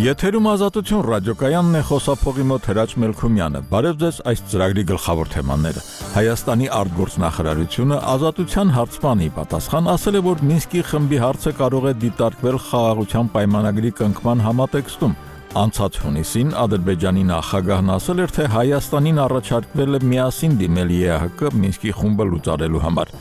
Եթերում ազատություն ռադիոկայանն է, խոսափողի մոտ Հրաչ Մելքումյանը։ Բարև ձեզ, այս ծրագրի գլխավոր թեմաները։ Հայաստանի արտգործնախարարությունը ազատության հարցմանի պատասխան ասել է, որ Մինսկի խմբի հարցը կարող է դիտարկվել խաղաղության պայմանագրի կնքման համատեքստում։ Անցած հունիսին Ադրբեջանի նախագահն ասել էր, թե Հայաստանին առաջարկվել է միասին դիմել ԵԱՀԿ Մինսկի խումբը լուծարելու համար։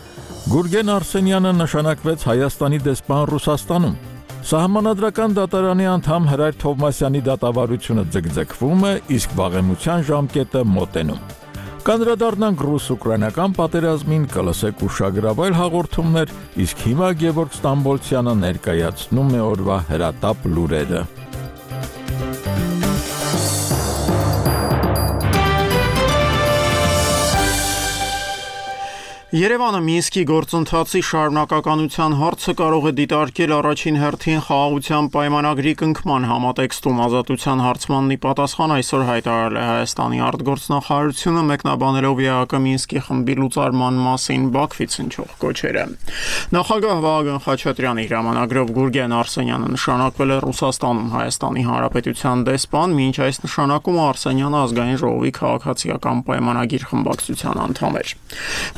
Գուրգեն Արսենյանը նշանակվեց Հայաստանի դեսպան Ռուսաստանում։ Սահմանադրական դատարանի անդամ Հրայր Թովմասյանի դատավարությունը ձգձգվում է, իսկ վաղեմության ժամկետը մոտենում։ Կանդրադառնանք ռուս-ուկրաինական պատերազմին, կլսեք ուշագրավայր հաղորդումներ, իսկ հիմա Գևորգ Ստամբոլցյանը ներկայացնում է օրվա հրատապ լուրերը։ Երևանը Մինսկի գործընթացի շարունակականության հարցը կարող է դիտարկել առաջին հերթին խաղաղության պայմանագրի կնքման համատեքստում ազատության հարցմաննի պատասխան այսօր հայտարարել է Հայաստանի արտգործնախարարությունը, մեկնաբանելով ԵԱՀԿ Մինսկի խմբի լուծարման մասին Բաքվից հնչող կոչերը։ Նախագահ Վահագն Խաչատրյանի հրամանագրով Գուրգեն Արսենյանը նշանակվել է Ռուսաստանում Հայաստանի Հանրապետության դեսպան, մինչ այս նշանակումը Արսենյանը ազգային ժողովի քաղաքացիական պայմանագիր խմբակցության անդամ էր։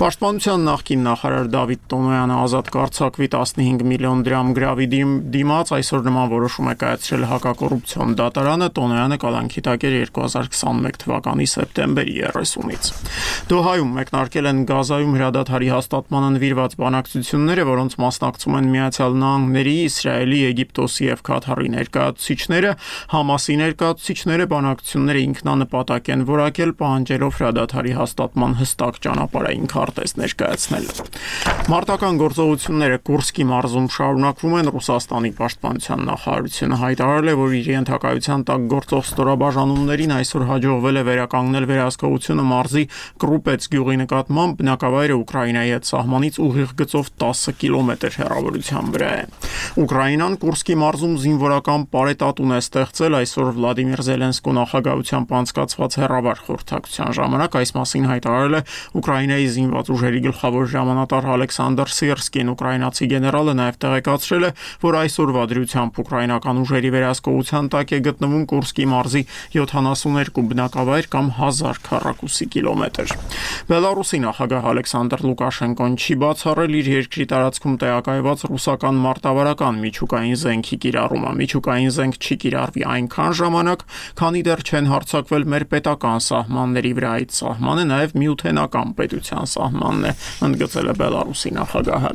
Պաշտպանության նախկին նախարար Դավիթ Տոնոյանը ազատ կարձակվի 15 միլիոն դրամ գրավի դիմաց այսօր նման որոշում է կայացրել հակակոռուպցիոն դատարանը։ Տոնոյանը կալանքի տակ էր 2021 թվականի սեպտեմբերի 30-ից։ Դոհայում մեկնարկել են Գազայում հրադադարի հաստատմանը նվիրված բանակցությունները, որոնց մասնակցում են Միացյալ Նահանգների, Իսրայելի, Եգիպտոսի և Քաթարի ներկայացուցիչները։ Համասի ներկայացուցիչները բանակցությունները ինքնանպատակ են որակել, պահանջելով հրադադարի հաստատման հստակ ճանապարհային քարտեզ ներկայացնել։ Մարտական գործողությունները Կուրսկի մարզում շարունակվում են։ Ռուսաստանի պաշտպանության նախարարությունը հայտարարել է, որ իր ենթակայության տակ գործող ստորաբաժանումներին այսօր հաջողվել է վերականգնել վերահսկողությունը մարզի Կրուպեց գյուղի նկատմամբ, բնակավայրը Ուկրաինայի հետ սահմանից ուղիղ գծով 10 կիլոմետր հեռավորության վրա է։ Ուկրաինան Կուրսկի մարզում զինվորական պարետատուն է ստեղծել այսօր Վլադիմիր Զելենսկու նախագահությամբ անցկացված հեռավար խորհրդակցության ժամանակ այս մասին հայտարարել է Ուկրաինայի զինված ուժերի գլխավոր հրամանատար Ալեքսանդր Սիրսկին։ Ուկրաինացի գեներալը նաև տեղեկացրել է, որ այսօրվա դրությամբ ուկրաինական ուժերի վերահսկողության տակ է գտնվում Կուրսկի մարզի 72 բնակավայր կամ 1000 քառակուսի կիլոմետր։ Բելարուսի նախագահ Ալեքսանդր Լուկաշենկոն չի բացառել իր երկրի տարածքում տեղակայված ռուսական մարտավարական միջուկային զենքի կիրառումը։ Միջուկային զենք չի կիրառվի այնքան ժամանակ, քանի դեռ չեն հարձակվել մեր պետական սահմանների վրա։ Այդ սահմանը նաև միութենական պետության սահմանն է, ընդգծել է Բելարուսի նախագահը։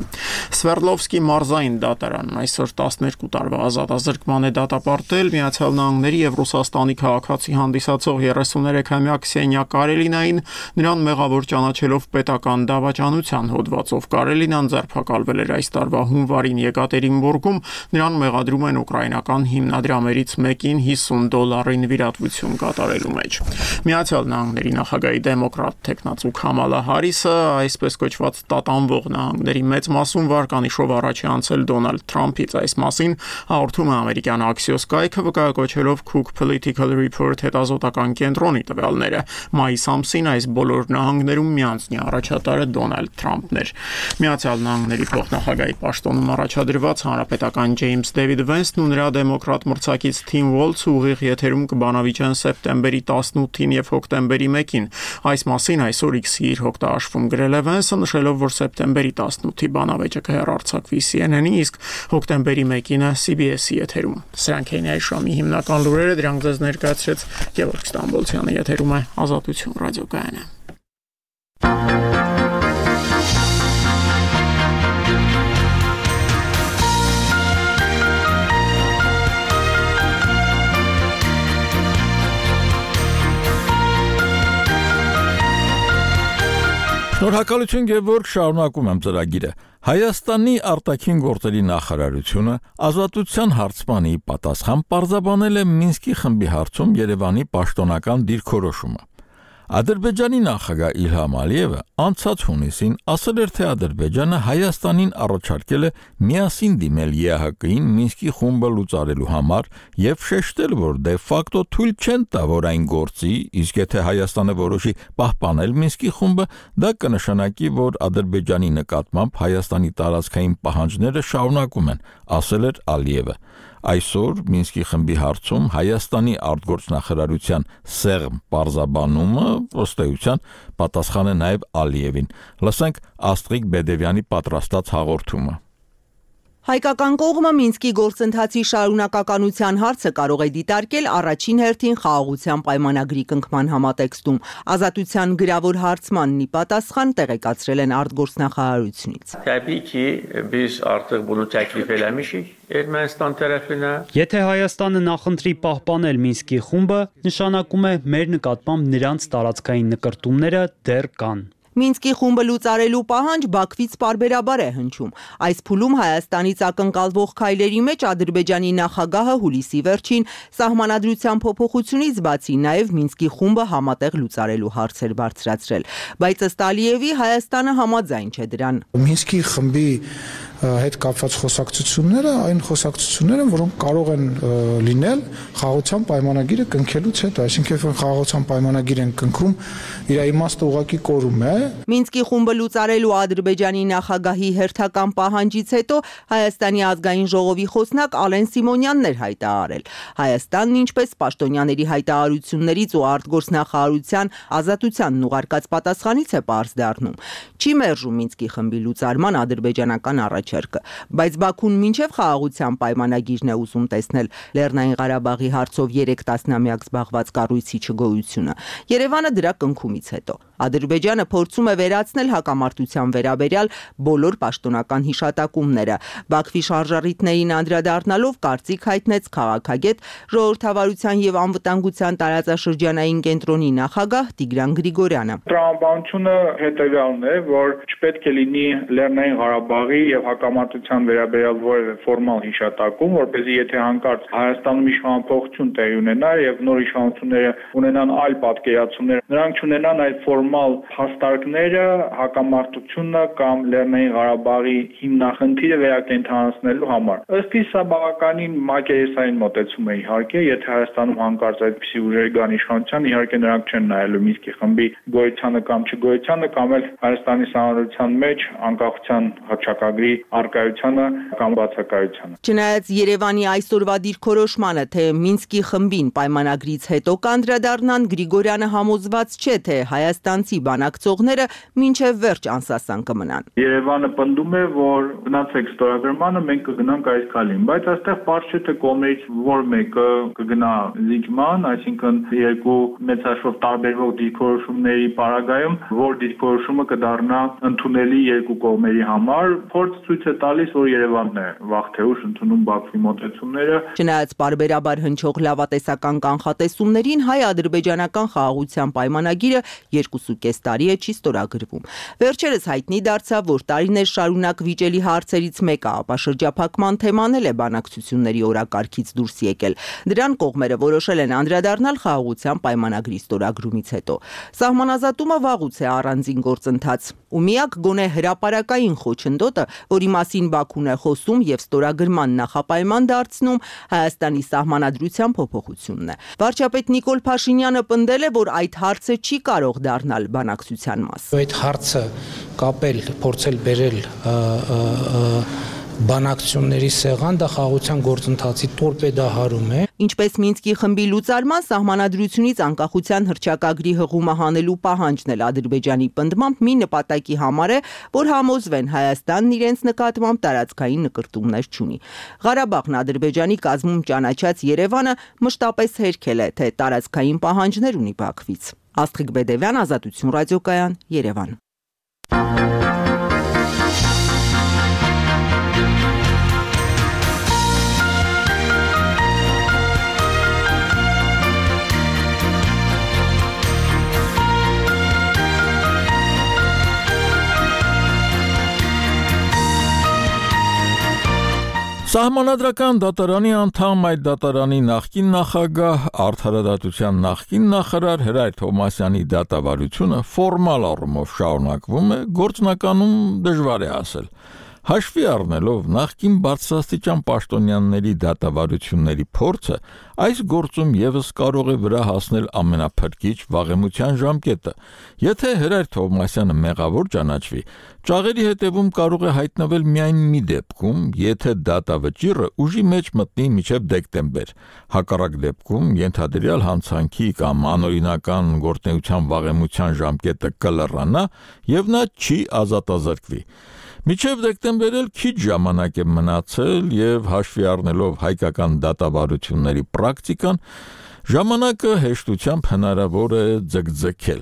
Սվերդլովսկի մարզային դատարանն այսօր 12 տարվա ազատազրկման է դատապարտել Միացյալ Նահանգների և Ռուսաստանի քաղաքացի հանդիսացող 33-ամյա Քսենիա Կարելինային, նրան մեղավոր ճանաչելով պետական դավաճանության հոդվածով։ Կարելինան ձերբակալվել էր այս տարվա հունվարին Եկատերինբուրգում, նրան մեղադրում են ուկրաինական հիմնադրամներից մեկին $50 նվիրատվություն կատարելու մեջ։ Միացյալ Նահանգների նախագահի դեմոկրատ թեկնածու Քամալա Հարիսը այսպես կոչված տատանվող նահանգների մեծ մասում վարկանիշով առաջ է անցել Դոնալդ Թրամփից։ Այս մասին հաղորդում է ամերիկյան Axios կայքը, վկայակոչելով Cook Political Report հետազոտական կենտրոնի տվյալները։ Մայիս ամսին այս բոլոր նահանգներում միանձնյա առաջատարը Դոնալդ Թրամփն էր։ Միացյալ Նահանգների փոխնախագահի պաշտոնում առաջադրված հանրապետական Ջեյմս Դեվիդ Վենսն ու նրա դեմոկրատ մրցակից Թիմ Ուոլթսը ուղիղ եթերում կբանավիճեն սեպտեմբերի 18-ին և հոկտեմբերի 1-ին։ Այս մասին այսօր X-ի իր հոկտաշվում գրել է Վենսը, նշելով, որ սեպտեմբերի 18-ի բանավեճը կհեռարձակվի CNN-ի, իսկ հոկտեմբերի 1-ինը CBS-ի եթերում։ Սրանք էին այս ժամի հիմնական լուրերը, դրանք ձեզ ներկայացրեց Գևորգ Ստամբոլցյանը, եթերում է Ազատություն ռադիոկայանը։ Շնորհակալություն Գևորգ, շարունակում եմ ծրագիրը։ Հայաստանի արտաքին գործերի նախարարությունը ազատության հարցմանի պատասխան պարզաբանել է Մինսկի խմբի հարցում Երևանի պաշտոնական դիրքորոշումը։ Ադրբեջանի նախագահ Իլհամ Ալիևը անցած հունիսին ասել էր, թե Ադրբեջանը Հայաստանին առաջարկել է միասին դիմել ԵԱՀԿ-ին Մինսկի խումբը լուծարելու համար եւ շեշտել, որ դե ֆակտո թույլ չեն տա, որ այն գործի, իսկ եթե Հայաստանը որոշի պահպանել Մինսկի խումբը, դա կնշանակի, որ Ադրբեջանի նկատմամբ Հայաստանի տարածքային պահանջները շարունակում են, ասել էր Ալիևը։ Այսօր Մինսկի խմբի հարցում Հայաստանի արտգործնախարարության սեղմ պարզաբանումը ըստ էության պատասխան է նաև Ալիևին։ Լսենք Աստղիկ Բեդևյանի պատրաստած հաղորդումը։ Հայկական կողմը Մինսկի գործընթացի շարունակականության հարցը կարող է դիտարկել առաջին հերթին խաղաղության պայմանագրի կնքման համատեքստում։ Ազատության գրավոր հարցմանն ի պատասխան տեղեկացրել են արտգործնախարարությունից։ Եթե Հայաստանը նախընտրի պահպանել Մինսկի խումբը, նշանակում է մեր նկատմամբ նրանց տարածքային նկրտումները դեռ կան։ Մինսկի խումբը լուծարելու պահանջ Բաքվից պարբերաբար է հնչում։ Այս փուլում Հայաստանից ակնկալվող քայլերի մեջ Ադրբեջանի նախագահը հուլիսի վերջին սահմանադրության փոփոխությունից բացի նաև Մինսկի խումբը համատեղ լուծարելու հարցեր բարձրացրել։ Բայց ըստ Ալիևի Հայաստանը համաձայն չէ դրան։ Մինսկի խմբի հետ կապված խոսակցությունները այն խոսակցությունները, որոնք կարող են լինել խաղաղության պայմանագիրը կնքելուց հետո, այսինքն երբ խաղաղության պայմանագիր են կնքում, իր իմաստը ուղղակի կորում է։ Մինսկի խումբը լուծարելու Ադրբեջանի նախագահի հերթական պահանջից հետո Հայաստանի ազգային ժողովի խոսնակ Ալեն Սիմոնյանն էր հայտարարել։ Հայաստանն ինչպես պաշտոնյաների հայտարարություններից ու արտգործնախարարության ազատությանն ուղարկած պատասխանից է պարզ դառնում։ Չի մերժում Մինսկի խմբի լուծարման ադրբեջանական առաջարկը, բայց Բաքուն մինչև խաղաղության պայմանագիրն է ուզում տեսնել Լեռնային Ղարաբաղի հարցով 3 տասնամյակ զբաղված կառույցի չգոյությունը։ Երևանը դրա կնքումից հետո Ադրբեջանը փորձում է վերացնել հակամարտության վերաբերյալ բոլոր պաշտոնական հիշատակումները։ Բաքվի շարժառիթներին անդրադառնալով կարծիք հայտնեց քաղաքագետ ժողովրդավարության եւ անվտանգության տարածաշրջանային կենտրոնի նախագահ Տիգրան Գրիգորյանը։ Տրամաբանությունը հետեւյալն է, որ չպետք է լինի Լեռնային Ղարաբաղի եւ հակամարտության վերաբերյալ որևէ ֆորմալ հիշատակում, որպեսզի եթե հանկարծ Հայաստանում իշխանափոխություն տեղի ունենա եւ նոր իշխանությունները ունենան այլ պատկերացումներ, նրանք չունենան այդ ֆորմալ հաստարկները հակամարտությունը կամ Լեռնային Ղարաբաղի հիմնախնդիրը վերակենդանացնելու համար։ Ըստ իս սա բավականին մակերեսային մոտեցում է իհարկե, եթե Հայաստանում հանկարծ այդպիսի ուժեր կան իշխանության, իհարկե նրանք չեն նայելու Մինսկի խմբի գոյությանը կամ չգոյությանը կամ էլ Հայաստանի սահմանադրության մեջ անկախության հռչակագրի արկայությանը կամ բացակայությանը։ Չնայած Երևանի այսօրվա դիրքորոշմանը, թե Մինսկի խմբին պայմանագրից հետո կանդրադառնան, Գրիգորյանը համոզված չէ, թե հայաստանցի բանակցողները մինչև վերջ անսասան կմնան։ Երևանը պնդում է, որ գնացեք ստորագրմանը, մենք կգնանք այս քալին, բայց այստեղ պարզ չէ, թե կողմերից որ մեկը կգնա զիջման, այսինքն երկու մեծ հաշվով տարբերվող դիրքորոշումների պարագայում, որ դիրքորոշումը կդառնա ընդունելի երկու կողմերի համար, փորձ ցույց է տալիս, որ Երևանն է վաղ թե ուշ ընդունում Բաքվի մոտեցումները։ Չնայած պարբերաբար հնչող լավատեսական կանխատեսումներին, հայ-ադրբեջանական խաղաղության պայմանագիրը 2.5 տարի է չի ստորագրվում։ Վերջերս հայտնի դարձավ, որ տարիներ շարունակ վիճելի հարցերից մեկը ապաշրջափակման թեման է բանակցությունների օրակարգից դուրս եկել։ Դրան կողմերը որոշել են անդրադառնալ խաղաղության պայմանագրի ստորագրումից հետո։ Սահմանազատումը վաղուց է առանձին գործընթաց, ու միակ գոնե հրապարակային խոչընդոտը, որի մասին Բաքուն է խոսում եւ ստորագրման նախապայման դարձնում, Հայաստանի սահմանադրության փոփոխությունն է։ Վարչապետ Նիկոլ Փաշինյանը պնդել է, որ այդ հարցը չի կարող դառնալ բանակցության մաս։ Այդ հարցը կապել, փորձել բերել բանակցությունների սեղան, դա խաղաղության գործընթացի տորպեդահարում է։ Ինչպես Մինսկի խմբի լուծարման սահմանադրությունից անկախության հռչակագրի հղումը հանելու պահանջն էլ Ադրբեջանի պնդմամբ մի նպատակի համար է, որ համոզվեն Հայաստանն իրենց նկատմամբ տարածքային նկրտումներ չունի։ Ղարաբաղն Ադրբեջանի կազմում ճանաչած Երևանը մշտապես հերքել է, թե տարածքային պահանջներ ունի Բաքվից։ Աստղիկ Բեդևյան, Ազատություն ռադիոկայան, Երևան։ Սահմանադրական դատարանի անդամ այդ դատարանի նախկին նախագահ արդարադատության նախկին նախարար Հրայր Թովմասյանի դատավարությունը ֆորմալ առումով շարունակվում է, գործնականում դժվար է ասել։ Հաշվի առնելով նախկին բարձրաստիճան պաշտոնյաների դատավարությունների փորձը, այս գործում եւս կարող է վրա հասնել ամենափրկիչ վաղեմության ժամկետը։ Եթե Հրայր Թովմասյանը մեղավոր ճանաչվի, ճաղերի հետևում կարող է հայտնվել միայն մի դեպքում, եթե դատավճիռը ուժի մեջ մտնի մինչև դեկտեմբեր։ Հակառակ դեպքում ենթադրյալ հանցանքի կամ անօրինական գործունեության վաղեմության ժամկետը կլռանա եւ նա չի ազատազրկվի։ Մինչև դեկտեմբեր էլ քիչ ժամանակ է մնացել եւ հաշվի առնելով հայկական դատավարությունների պրակտիկան, ժամանակը հեշտությամբ հնարավոր է ձգձգել։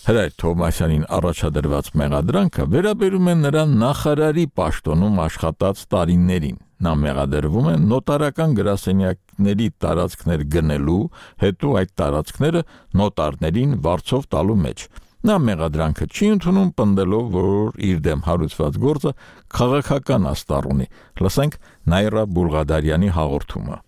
Հրայր Թովմասյանին առաջադրված մեղադրանքը վերաբերում է նրա նախարարի պաշտոնում աշխատած տարիներին։ Նա մեղադրվում է նոտարական գրասենյակների տարածքներ գնելու, հետո այդ տարածքները նոտարներին վարձով տալու մեջ։ Նա մեղադրանքը չի ընդունում, պնդելով, որ իր դեմ հարուցված գործը քաղաքական աստառ ունի։ Լսենք Նայրա Բուլղադարյանի հաղորդումը։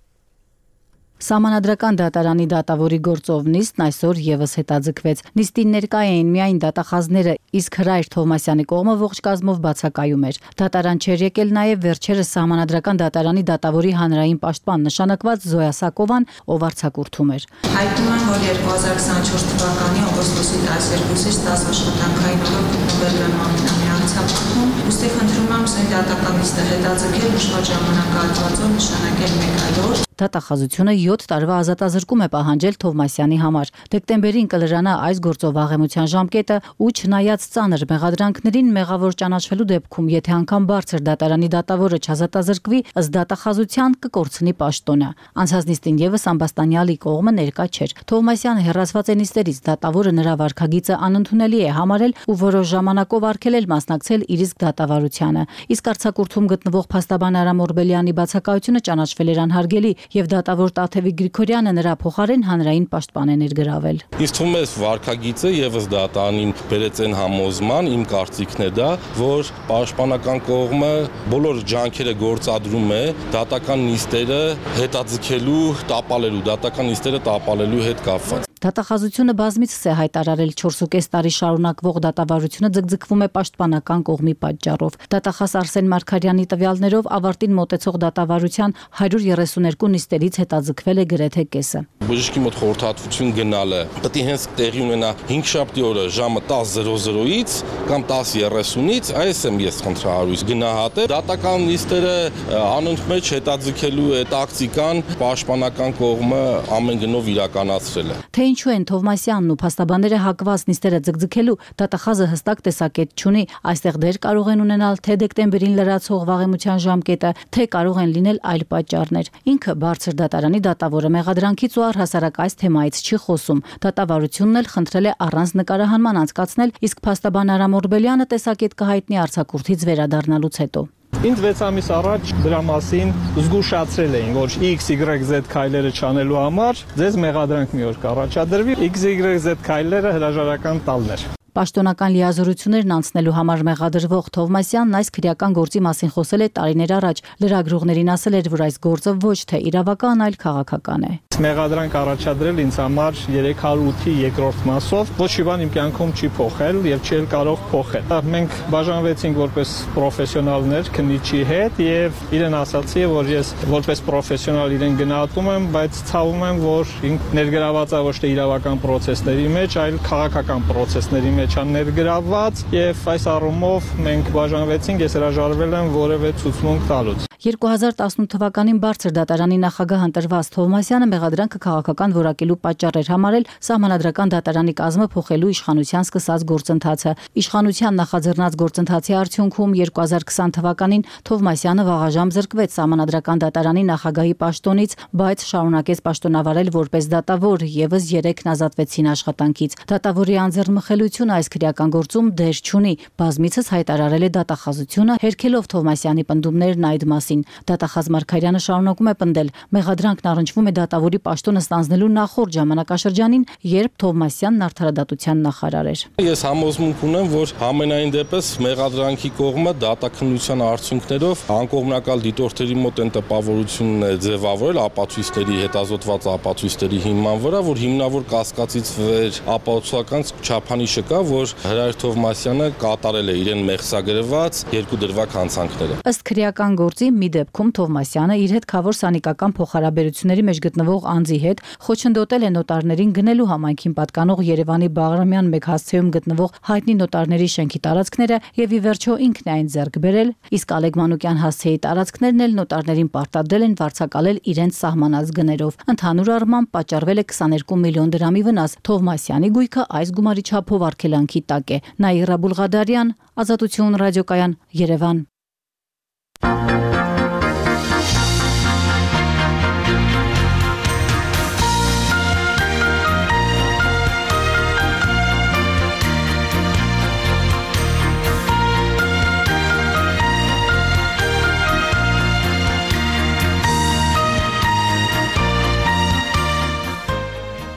Սահմանադրական դատարանի դատավորի գործով նիստն այսօր եւս հետաձգվեց։ Նիստին ներկա էին միայն դատախազները, իսկ Հրայր Թովմասյանի կողմը ողջ կազմով բացակայում էր։ Դատարան չէր եկել նաեւ վերջերս Սահմանադրական դատարանի դատավորի հանրային պաշտպան նշանակված Զոյա Սակովան, ով արձակուրդում էր։ Հայտնում եմ, որ 2024 թվականի օգոստոսի 12-ից 10 աշխատանքային օրը գտնվել եմ ամենամյա ցավքում, ուստի խնդրում եմ սույն դատական նիստը հետաձգել ուշված ժամանակահատվածով նշանակել 1 այլ օր։ Դատախազությունը 7 տարվա ազատազրկում է պահանջել Թովմասյանի համար։ Դեկտեմբերին կլրանա այս գործով վաղեմության ժամկետը ու չնայած ծանր մեղադրանքներին մեղավոր ճանաչվելու դեպքում, եթե անգամ բարձր դատարանի դատավորը չազատազրկվի, ըստ դատախազության կկորցնի պաշտոնը։ Անցած նիստին եւս Ամբաստանյալի կողմը ներկա չէր։ Թովմասյանը հեռացված է նիստերից, դատավորը նրա վարքագիծը անընդունելի է համարել ու որոշ ժամանակով արգելել մասնակցել իր իսկ դատավարությանը։ Իսկ արձակուրդում գտնվող փաստաբան Արամ Օրբելյանի բացակայությունը ճանաչվել էր անհարգելի եւ դատավոր Տաթևի Գրիգորյանը նրա փոխարեն հանրային պաշտպան է ներգրավել։ Ինձ թվում է վարքագիծը եւս դատարանին բերեց այն համոզման, իմ կարծիքն է դա, որ պաշտպանական կողմը բոլոր ջանքերը գործադրում է դատական նիստերը հետաձգելու, տապալելու հետ կապված։ Դատախազությունը բազմիցս է հայտարարել 4.5 տարի շարունակվող դատավարությունը ձգձգվում է պաշտպանական կողմի պատճառով։ Դատախազ Արսեն Մարգարյանի տվյալներով ավարտին մոտեցող դատավարության 132 նիստերից հետաձգվել է գրեթե կեսը։ Բժշկի մոտ խորհրդատվություն գնալը պետք է հենց տեղի ունենա 5-շաբթի օրը ժամը 10:00-ից կամ 10:30-ից, այս եմ ես խնդրահարույց գնահատել։ Դատական նիստերը անընդմեջ հետաձգելու է տակտիկան պաշտպանական կողմը ամեն գնով իրականացրել է։ Թե ինչու են Թովմասյանն ու փաստաբանները հակված նիստերը ձգձգելու, դատախազը հստակ տեսակետ չունի։ Այստեղ դեր կարող են ունենալ թե դեկտեմբերին լրացող վաղեմության ժամկետը, թե կարող են լինել այլ պատճառներ։ Ինքը բարձր դատարանի դատավորը մեղադրանքից ու առհասարակ այս թեմայից չի խոսում։ Դատավարությունն էլ խնդրել է առանց նկարահանման անցկացնել, իսկ փաստաբան Արամ Օրբելյանը տեսակետ կհայտնի արձակուրդից վերադառնալուց հետո։ Ինձ 6 ամիս առաջ դրա մասին զգուշացրել էին, որ XYZ քայլերը չանելու համար ձեզ մեղադրանք մի օր կառաջադրվի, XYZ քայլերը հրաժարական տալն էր։ Պաշտոնական լիազորություններն անցնելու համար մեղադրվող Թովմասյանն այս քրեական գործի մասին խոսել է տարիներ առաջ։ Լրագրողներին ասել էր, որ այս գործը ոչ թե իրավական, այլ քաղաքական է։ Մեղադրանք առաջադրել ինձ համար 308-ի երկրորդ մասով ոչ մի բան իմ կյանքում չի փոխել եւ չի կարող փոխել։ Մենք բաժանվեցինք որպես պրոֆեսիոնալներ քննիչի հետ եւ իրեն ասացի, որ ես որպես պրոֆեսիոնալ իրեն գնահատում եմ, բայց ցավում եմ, որ ինք ներգրաված է ոչ թե իրավական process-ների մեջ, այլ քաղաքական process-ների մեջ ներգրաված եւ այս առումով մենք բաժանվեցինք, ես հրաժարվել եմ որևէ ցուցմունք տալուց։ 2018 թվականին բարձր դատարանի նախագահ ընտրված Թովմասյանը մեղադրանքը քաղաքական որակելու պատճառ էր համարել Սահմանադրական դատարանի կազմը փոխելու իշխանության սկսած գործընթացը։ Իշխանության նախաձեռնած գործընթացի արդյունքում 2020 թվականին Թովմասյանը վաղաժամ զրկվեց Սահմանադրական դատարանի նախագահի պաշտոնից, բայց շարունակեց պաշտոնավարել որպես դատավոր, եւս 3-ն ազատվեցին աշխատանքից։ Դատավորի անձեռնմխելությունը այս քրեական գործում դեր չունի, բազմիցս հայտարարել է դատախազությունը, հերքելով Թովմասյանի պնդումներն այդ մասին։ մասին։ Դատախազ Մարգարյանը շարունակում է պնդել, մեղադրանքն առնչվում է դատավորի պաշտոնը ստանձնելու նախորդ ժամանակաշրջանին, երբ Թովմասյանն արդարադատության նախարար էր։ Ես համոզմունք ունեմ, որ համենայն դեպս մեղադրանքի կողմը դատաքննության արդյունքներով անկողմնակալ դիտորդերի մոտ են տպավորությունն է ձևավորել ապացույցների, հետազոտված ապացույցների հիման վրա, որ հիմնավոր կասկածից վեր ապացուցական չափանիշը կա, որ Հրայր Թովմասյանը կատարել է իրեն մեղսագրված երկու դրվագ հանցանքները։ Ըստ քրեական գործի մի դեպքում Թովմասյանը իր հետ քավոր սանիկական փոխհարաբերությունների մեջ գտնվող անձի հետ խոչընդոտել է նոտարներին գնելու համայնքին պատկանող Երևանի Բաղրամյան 1 հասցեում գտնվող հայտնի նոտարների շենքի տարածքները եւ ի վերջո ինքն է այն ձեռք բերել, իսկ Ալեկ Մանուկյան հասցեի տարածքներն էլ նոտարներին պարտադրել են վարձակալել իրենց սահմանած գներով։ Ընդհանուր առմամբ պատճառվել է 22 միլիոն դրամի վնաս։ Թովմասյանի գույքը այս գումարի չափով արգելանքի տակ է։ Նաիրա Բուլղադարյան, Ազատություն ռադիոկայան, Երևան։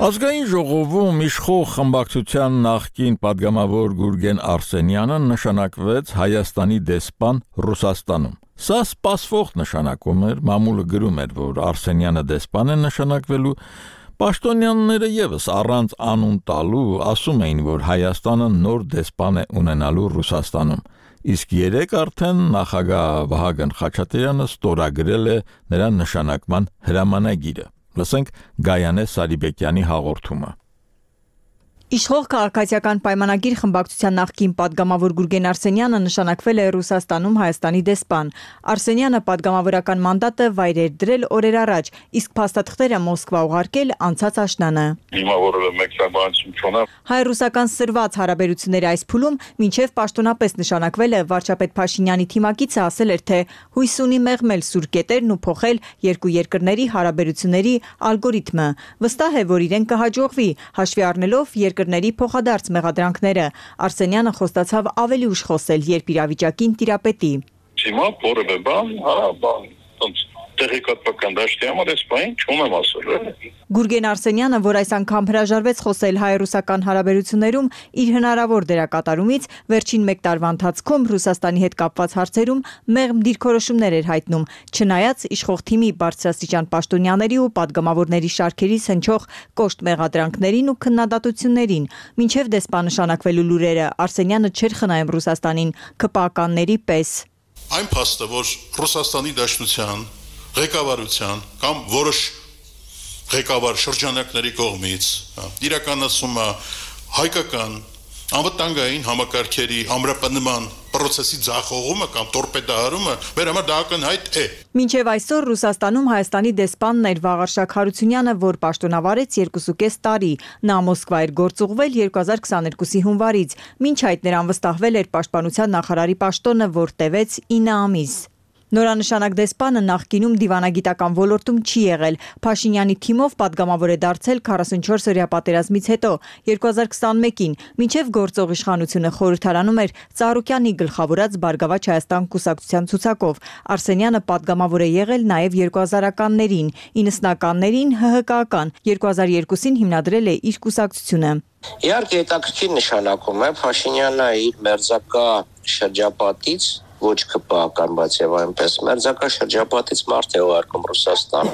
Ազգային ժողովում իշխող խմբակցության նախկին падգամավոր Գուրգեն Արսենյանը նշանակվեց Հայաստանի դեսպան Ռուսաստանում։ Սա սպասվող նշանակում էր, մամուլը գրում էր, որ Արսենյանը դեսպան է նշանակվելու, պաշտոնյաները եւս առանց անուն տալու ասում էին, որ Հայաստանը նոր դեսպան է ունենալու Ռուսաստանում։ Իսկ երեկ արդեն նախագահ Վահագն Խաչատրյանը ստորագրել է նրա նշանակման հրամանագիրը։ Լսենք Գայանե Սարիբեկյանի հաղորդումը։ Իշխող քաղաքացիական պայմանագիր խմբակցության նախկին падգամավոր Գուրգեն Արսենյանը նշանակվել է Ռուսաստանում Հայաստանի դեսպան։ Արսենյանը падգամավորական մանդատը վայր էր դրել օրեր առաջ, իսկ փաստաթղթերը Մոսկվա ուղարկել անցած աշնանը։ Հիմա որը մեկնաբանություն չունեմ։ Հայ-ռուսական սրված հարաբերությունների այս փուլում մինչև պաշտոնապես նշանակվել է վարչապետ Փաշինյանի թիմակիցը ասել էր, թե հույս ունի մեղմել սուր կետերն ու փոխել երկու երկրների հարաբերությունների ալգորիթմը։ Վստահ է, որ իրեն կհաջողվի, հաշվի առնելով երկրների փոխադարձ մեղադրանքները։ Արսենյանը խոստացավ ավելի ուշ խոսել, երբ իրավիճակին տիրապետի։ Հիմա որևէ բան, տեղեկատվական դաշտի համար այս բան չունեմ ասել։ Գուրգեն Արսենյանը, որ այս անգամ հրաժարվեց խոսել հայ-ռուսական հարաբերություններում իր հնարավոր դերակատարումից, վերջին 1 տարվա ընթացքում Ռուսաստանի հետ կապված հարցերում մեղմ դիրքորոշումներ էր հայտնում, չնայած իշխող թիմի բարձրաստիճան պաշտոնյաների ու падգամավորների շարքերից հնչող կոշտ մեղադրանքներին ու քննադատություններին։ Մինչև դեսպան նշանակվելու լուրերը Արսենյանը չէր խնայում Ռուսաստանին ԿՊԱ-կանների պես։ Այն փաստը, որ Ռուսաստանի Դաշնության ղեկավարության կամ որոշ ղեկավար շրջանակների կողմից իրականացում է հայկական անվտանգային համակարգերի ամրապնման process-ի ձախողումը կամ տորպեդահարումը մեր համար դա ակնհայտ է։ Մինչև այսօր Ռուսաստանում Հայաստանի դեսպանն էր Վաղարշակ Հարությունյանը, որ պաշտոնավարեց 2.5 տարի։ Նա Մոսկվա էր գործուղվել 2022-ի հունվարից։ Մինչ այդ նրան վստահվել էր պաշտպանության նախարարի պաշտոնը, որ տևեց 9 ամիս։ Նորանշանակ դեսպանը նախկինում դիվանագիտական ոլորտում չի եղել։ Փաշինյանի թիմով падգամավոր է դարձել 44-օրյա պատերազմից հետո 2021-ին, մինչև գործող իշխանությունը խորհրդարանում էր Ծառուկյանի գլխավորած Բարգավաճ Հայաստան կուսակցության ցուցակով։ Արսենյանը падգամավոր է եղել նաև 2000-ականներին, 90-ականներին ՀՀԿ-ական, 2002-ին հիմնադրել է իր կուսակցությունը։ Իհարկե հետաքրքիր նշանակում է Փաշինյանը իր մերձակա շրջապատից ոչ ԿՊԱ-ական, բայց եւ այնպես մերձակա շրջապատից մարդ է ուղարկում Ռուսաստան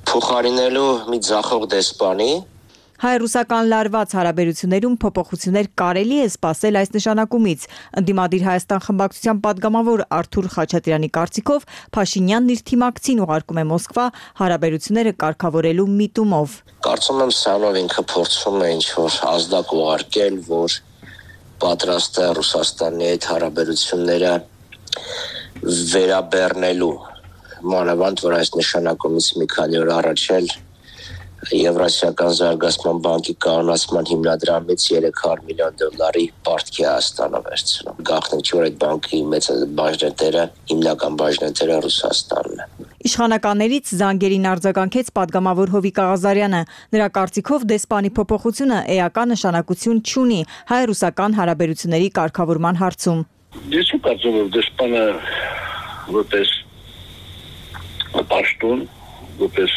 փոխարինելու մի ձախող դեսպանի։ Հայ-ռուսական լարված հարաբերություններում փոփոխություններ կարելի է սպասել այս նշանակումից։ Ընդդիմադիր Հայաստան խմբակցության падգամավոր Արթուր Խաչատրյանի կարծիքով Փաշինյանն իր թիմակցին ուղարկում է Մոսկվա հարաբերությունները կարգավորելու միտումով։ Կարծում եմ սրանով ինքը փորձում է ինչ-որ ազդակ ուղարկել, որ պատրաստ է Ռուսաստանի հետ հարաբերությունները վերաբեռնելու, մանավանդ որ այս նշանակումից մի քանի օր առաջ էլ Եվրասիական զարգացման բանկի կանոնացման հիմնադրամից $300 միլիոն պարտքի Հայաստանը վերցնում։ Գաղտնիք չէ, որ այդ բանկի մեծ բաժնետերը, հիմնական բաժնետերը Ռուսաստանն է։ Իշխանականներից զանգերին արձագանքեց падգամավոր Հովիկ Աղազարյանը։ Նրա կարծիքով դեսպանի փոփոխությունը էական նշանակություն չունի հայ-ռուսական հարաբերությունների կարգավորման հարցում։ Ես կարծում եմ դեսպանը որպես պաշտոն, որպես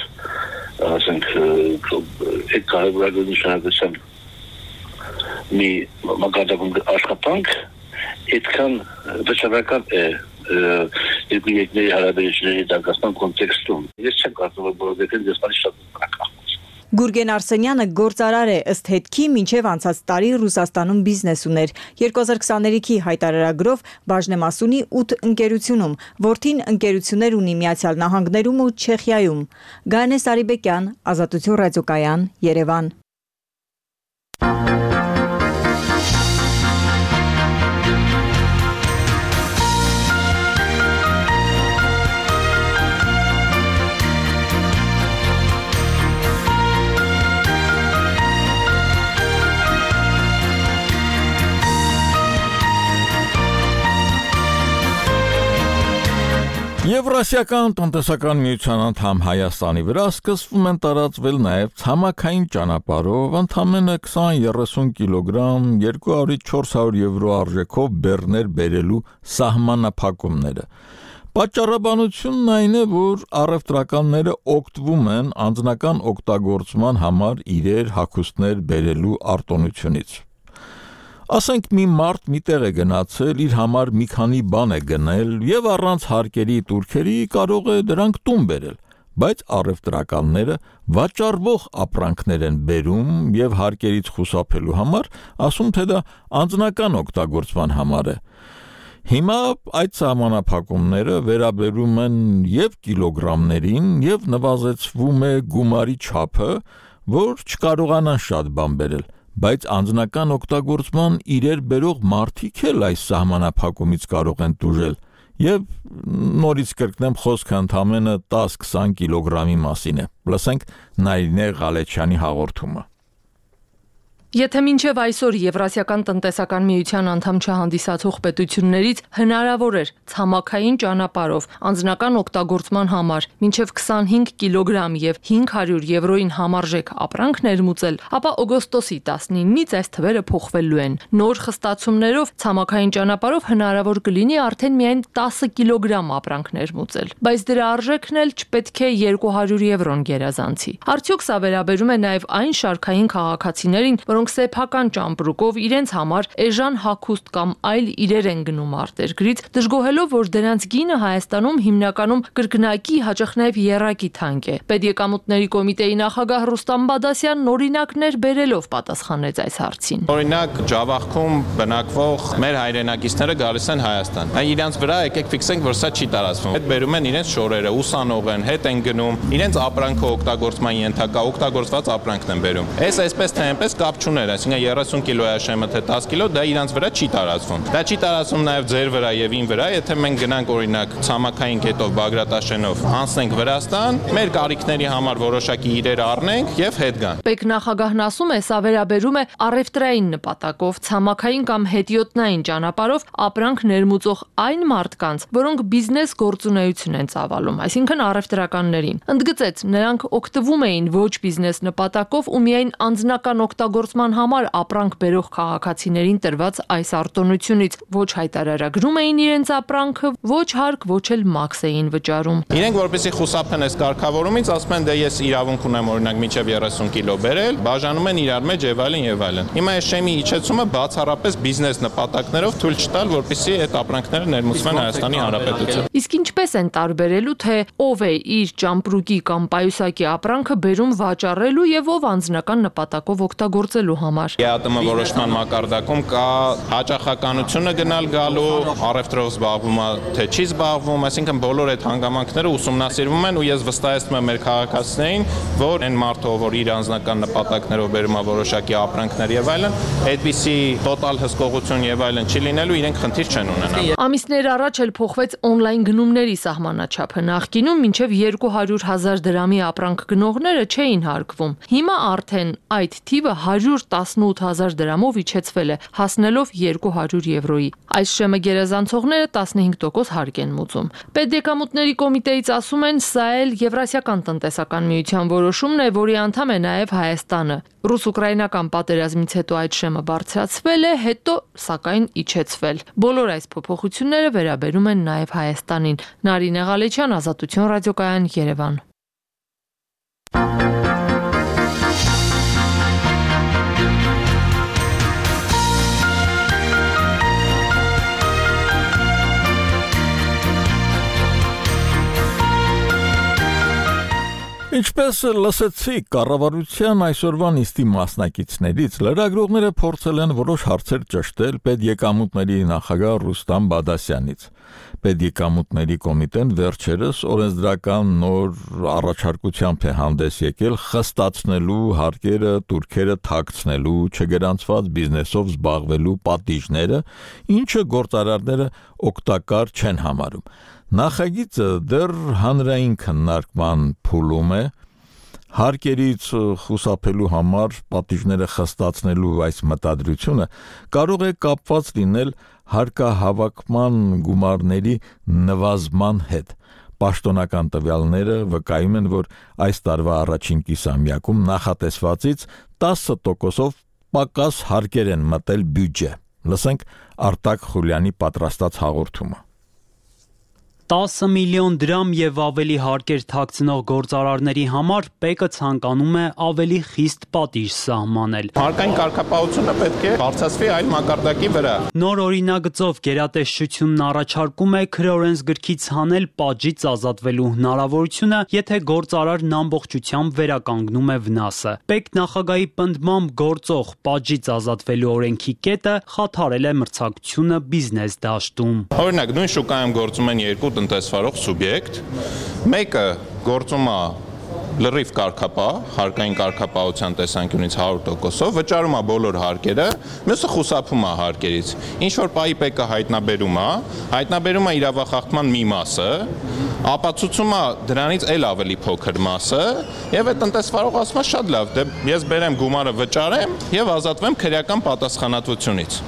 ասենք այդ կարևորագույն նշանակության մի մակարդակում աշխատանք, այդքան վճռական է երկու երկրների հարաբերությունների դակասման կոնտեքստում։ Ես չեմ կարծում, որ որովհետև դեսպանի շատ բնակա։ Գուրգեն Արսենյանը գործարար է, ըստ հետքի մինչև անցած տարի Ռուսաստանում բիզնես ուներ։ 2023-ի հայտարարագրով բաժնեմաս ունի 8 ընկերությունում, որդին ընկերություններ ունի Միացյալ Նահանգներում ու Չեխիայում։ Գայանե Սարիբեկյան, Ազատություն ռադիոկայան, Երևան։ Եվրասիական տնտեսական միության անդամ Հայաստանի վրա սկսվում են տարածվել նաև ցամաքային ճանապարհով ընդամենը 20-30 կիլոգրամ 200-400 եվրո արժեքով բեռներ բերելու սահմանափակումները։ Պատճառաբանությունն այն է, որ առևտրականները օգտվում են անձնական օգտագործման համար իրեր հագուստներ բերելու արտոնությունից։ Ասենք մի մարդ մի տեղ է գնացել, իր համար մի քանի բան է գնել եւ առանց հարկերի տուրքերի կարող է դրանք տուն բերել, բայց առևտրականները վաճառվող ապրանքներ են բերում եւ հարկերից խուսափելու համար, ասում թե դա անձնական օգտագործման համար է։ Հիմա այդ սահմանափակումները վերաբերում են եւ կիլոգրամներին եւ նվազեցվում է գումարի չափը, որ չկարողանան շատ բան բերել։ Բայց անձնական օգտագործման իրեր բերող մարդիկ էլ այս սահմանափակումից կարող են տուժել եւ նորից կրկնեմ խոսքը ընդամենը 10-20 կիլոգրամի մասին է։ Լսենք Նարինե Ղալեչյանի հաղորդումը։ Եթե մինչև այսօր Եվրասիական տնտեսական միության անդամ չհանդիսացող պետություններից հնարավոր էր ցամաքային ճանապարհով անձնական օգտագործման համար մինչև 25 կիլոգրամ եւ 500 եվրոին համարժեք ապրանք ներմուծել, ապա օգոստոսի 19-ից այս թվերը փոխվելու են։ Նոր խստացումներով ցամաքային ճանապարհով հնարավոր կլինի արդեն միայն 10 կիլոգրամ ապրանք ներմուծել, բայց դրա արժեքն էլ չպետք է 200 եվրոն գերազանցի։ Արդյոք սա վերաբերում է նաեւ այն շարքային քաղաքացիներին, որոնք սեփական ճամպրուկով իրենց համար էժան հագուստ կամ այլ իրեր են գնում արտերկրից, դժգոհելով, որ դրանց գինը Հայաստանում հիմնականում կրկնակի, հաճախ նաև եռակի թանկ է։ Պետեկամուտների կոմիտեի նախագահ Ռուստամ Բադասյանն օրինակներ բերելով պատասխանեց այս հարցին։ Օրինակ, Ջավախքում բնակվող մեր հայրենակիցները գալիս են Հայաստան։ Իրանց վրա եկեք ֆիքսենք, որ սա չի տարածվում։ Հետ բերում են իրենց շորերը, ուսանող են, հետ են գնում, իրենց ապրանքը օգտագործման ենթակա, օգտագործված ապրանքն են բերում։ Այսպես թե այնպես կապ չուներ, այսինքն 30 կիլոյա շեմը թե 10 կիլո, դա իրանց վրա չի տարածվում։ Դա չի տարածվում նաև ձեր վրա եւ ին վրա, եթե մենք գնանք օրինակ ցամաքային կետով Բագրատաշենով անցնենք Վրաստան, մեր կարիքների համար որոշակի իրեր առնենք եւ հետ գանք։ Պետնախագահն ասում է, սա վերաբերում է առևտրային նպատակով ցամաքային կամ հետիոտնային ճանապարհով ապրանք ներմուծող այն մարդկանց, որոնք բիզնես գործունեություն են ծավալում, այսինքն առևտրականներին։ Ընդգծեց, նրանք օգտվում էին ոչ բիզնես նպատակով ու միայն անձնական օգտագործման համար ապրանք բերող քաղաքացիներին տրված այս արտոնությունից, ոչ հայտարարագրում էին իրենց ապրանքը, ոչ հարկ, ոչ էլ մաքս էին վճարում։ Իրենք որպեսզի խուսափեն այս կարգավորումից, ասում են, դե ես իրավունք ունեմ օրինակ մինչև 30 կիլո բերել, բաժանում են իրար մեջ եւ այլն եւ այլն։ Հիմա այս շեմի իջեցումը բացառապես բիզնես նպատակներով թույլ չտալ, որպեսզի այդ ապրանքները ներմուծվեն Հայաստանի Հանրապետություն։ Իսկ ինչպես են տարբերելու, թե ով է իր ճամպրուկի կամ պայուսակի ապրանքը բերում վաճառելու եւ ով անձնական նպատակով օգտագործելու համար։ ԵԱՏՄ որոշման մակարդակում կա հաճախականությունը գնալ գալու, առևտրով զբաղվում է թե չի զբաղվում, այսինքն բոլոր այդ հանգամանքները ուսումնասիրվում են ու ես վստահեցնում եմ մեր քաղաքացիներին, որ այն մարդը, որ իր անձնական նպատակներով բերում է որոշակի ապրանքներ եւ այլն, այդպիսի տոտալ հսկողություն եւ այլն չի լինելու, իրենք խնդիր չեն ունենա։ Ամիսներ առաջ էլ փոխվեց օնլայն գնումների սահմանաչափը։ Նախկինում մինչև 200,000 դրամի ապրանք գնողները չէին հարկվում։ Հիմա արդեն այդ թիվը 100 այսօր 18000 դրամով իջեցվել է, հասնելով 200 եվրոյի։ Այս շեմը գերազանցողները 15% հարկ են մուծում։ Պետեկամուտների կոմիտեից ասում են, սա էլ Եվրասիական տնտեսական միության որոշումն է, որի անդամ է նաև Հայաստանը։ Ռուս-ուկրաինական պատերազմից հետո այդ շեմը բարձրացվել է, հետո սակայն իջեցվել։ Բոլոր այս փոփոխությունները վերաբերում են նաև Հայաստանին։ Նարինե Ղալեչյան, Ազատություն ռադիոկայան, Երևան։ Ինչպես լսեցիք կառավարության այսօրվա նիստի մասնակիցներից, լրագրողները փորձել են որոշ հարցեր ճշտել պետեկամուտների նախագահ Ռուստամ Բադասյանից։ Պետեկամուտների կոմիտեն վերջերս օրենսդրական նոր առաջարկությամբ է հանդես եկել խստացնելու հարկերը турքերը թաքցնելու, չգրանցված բիզնեսով զբաղվելու պատիժները, ինչը գործարարները օգտակար չեն համարում։ Նախագիծը դեռ հանրային քննարկման փուլում է, հարկերից խուսափելու համար պատիժները խստացնելու այս մտադրությունը կարող է կապված լինել հարկահավաքման գումարների նվազման հետ։ Պաշտոնական տվյալները վկայում են, որ այս տարվա առաջին կիսամյակում նախատեսվածից 10%-ով պակաս հարկեր են մտել բյուջե։ Լսենք Արտակ Խուլյանի պատրաստած հաղորդումը։ 10 միլիոն դրամ եւ ավելի հարկեր թաքցնող գործարարների համար ՊԵԿ-ը ցանկանում է ավելի խիստ պատիժ սահմանել։ Հարկային կարգապահությունը պետք է բարձրացվի այլ մակարդակի վրա։ Նոր օրինագծով գերատեսչությունն առաջարկում է քրեորենսգրքից հանել պատժից ազատվելու հնարավորությունը, եթե գործարարն ամբողջությամբ վերականգնում է վնասը։ ՊԵԿ նախագահի պնդմամբ գործող պատժից ազատվելու օրենքի կետը խաթարել է մրցակցությունը բիզնես դաշտում։ Օրինակ, նույն շուկայում գործում են երկու տնտեսվարող սուբյեկտ, մեկը գործում է լրիվ կարգապահ, հարկային կարգապահության տեսանկյունից 100%-ով, վճարում է բոլոր հարկերը, մյուսը խուսափում է հարկերից։ Ինչ որ պահի ՊԵԿ-ը հայտնաբերում է իրավախախտման մի մասը, ապացուցում է դրանից էլ ավելի փոքր մասը, եւ այդ տնտեսվարողը ասում է շատ լավ, դե ես բերեմ գումարը վճարեմ եւ ազատվեմ քրեական պատասխանատվությունից։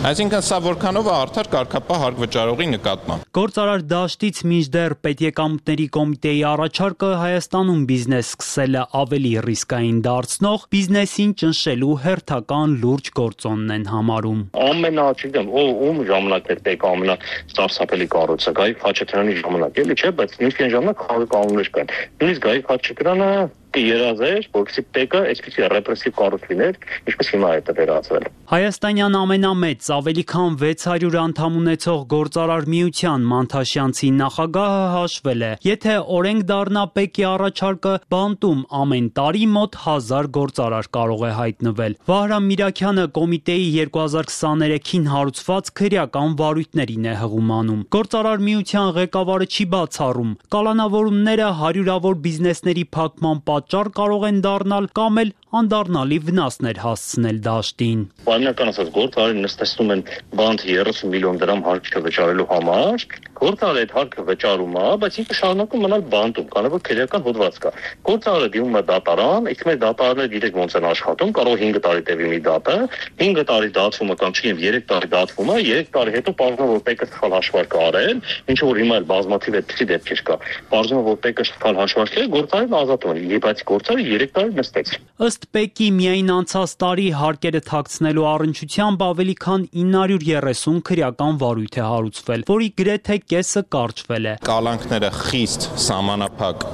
Այսինքն սա որքանով է արդար կարգապահ հարկ վճարողի նկատմամբ։ Գործարար դաշտից մինչդեռ պետեկամուտների կոմիտեի առաջարկը Հայաստանում բիզնես սկսելը ավելի ռիսկային դարձնող բիզնեսին ճնշելու հերթական լուրջ գործոնն են համարում։ Ամենաչիգամ ում ժամանակներ ՊԵԿ-ը ամենասարսափելի կառույցը, Խաչատրյանի ժամանակ, էլի չէ, բայց նույնիսկ այն ժամանակ կանոններ կան։ Նույնիսկ Խաչատրյանը երազեր, որպեսզի ՊԵԿ-ը այսպիսի ռեպրեսիվ կառույց լիներ, ինչպես հիմա է վերածվել։ Հայաստանյան ամենամեծ ավելի քան 600 անդամ ունեցող գործարար միության Մանթաշյանցի նախագահը հաշվել է, եթե օրենք դառնա ՊԵԿ-ի առաջարկը, բանտում ամեն տարի մոտ 1000 գործարար կարող է հայտնվել։ Վահրամ Միրաքյանը կոմիտեի 2023-ին հարուցված քրեական վարույթներին է հղումանում։ Գործարար միության ղեկավարը չի բացառում, կալանավորումները հարյուրավոր բիզնեսների փակման պատճառ կարող են դառնալ կամ էլ անդառնալի վնասներ հասցնել դաշտին։ Բանական ասած գործարարին նստեցնում են բանտ 30 միլիոն դրամ հարկը վճարելու համար, գործարարը այդ հարկը վճարում է, բայց ինքը շարունակում մնալ բանտում, քանի որ քրեական հոդված կա։ Գործարարը դիմում է դատարան, իսկ մեր դատարանները գիտեք ոնց են աշխատում, կարող 5 տարի տևի մի դատը, 5 տարի դատվում է կամ չի 3 տարի դատվում է, 3 տարի հետո պարզվում է որ ՊԵԿ-ը սխալ հաշվարկ է արել, ինչը որ հիմա էլ բազմաթիվ այդպիսի դեպքեր կա։ Պարզվում է որ ՊԵԿ-ը սխալ հաշվարկ է, գործարարն ազատվում է, բայց գործարարը 3 տարի նստեց։ Ըստ ՊԵԿ-ի միայն անցած տարի հարկերը թաքցնելու առնչությամբ ավելի քան 930 քրեական վարույթ է հարուցվել, որի գրեթե կեսը կարճվել է։ Կալանքները խիստ սահմանափակ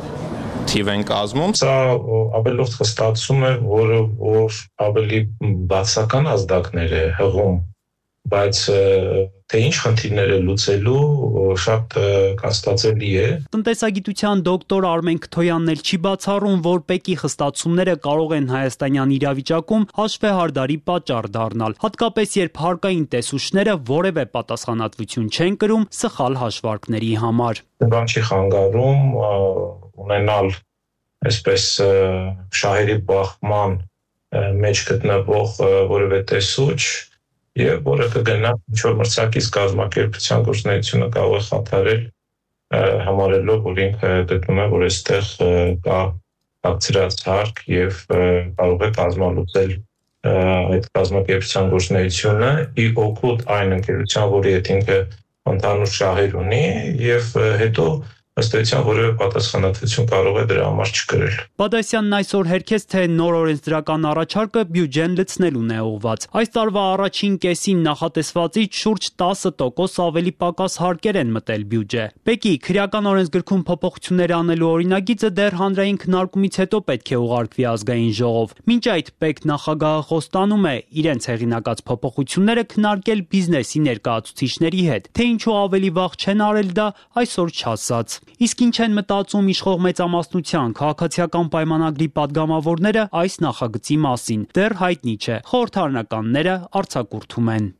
թիվ են կազմում։ Սա ավելորդ խստացում է, որ ավելի բացական ազդակներ է հղում, բայց թե ինչ խնդիրներ է լուծելու շատ կասկածելի է։ Տնտեսագիտության դոկտոր Արմեն Քթոյանն էլ չի բացառում, որ ՊԵԿ-ի խստացումները կարող են հայաստանյան իրավիճակում հաշվեհարդարի պատճառ դառնալ, հատկապես երբ հարկային տեսուչները որևէ պատասխանատվություն չեն կրում սխալ հաշվարկների համար։ Բան չի խանգարում ունենալ այսպես շահերի բախման մեջ գտնվող որևէ տեսուչ եւ որը կգնա ինչ-որ մրցակից կազմակերպության գործունեությունը կարող է խաթարել համարելով, որ ինքը գտնում է, որ այստեղ կա ակցիաց հարկ եւ կարող է կազմալուծել այդ կազմակերպության գործունեությունը ի օգուտ այն ընկերության, որի հետ ինքը ընդհանուր շահեր ունի եւ հետո ըստ էության որևէ պատասխանատվություն կարող է դրա համար չկրել։ Բադասյանն այսօր հերքեց, թե նոր օրենսդրական առաջարկը բյուջեն լցնելուն է ուղղված։ Այս տարվա առաջին կեսին նախատեսվածից շուրջ 10% ավելի պակաս հարկեր են մտել բյուջե։ Պեկի քրեական օրենսգրքում փոփոխություններ անելու օրինագիծը դեռ հանրային քննարկումից հետո պետք է ուղարկվի ազգային ժողով։ Մինչ այդ պետք նախագահը խոստանում է իրենց հեղինակած փոփոխությունները քննարկել բիզնեսի ներկայացուցիչների հետ։ Թե ինչու ավելի վաղ չեն արել դա, այսօր չասաց։ Իսկ ինչ են մտածում իշխող մեծամասնության քաղաքացիական պայմանագրի падգամավորները այս նախագծի մասին, դեռ հայտնի չէ։ Խորհրդարանականները արձակուրդում են։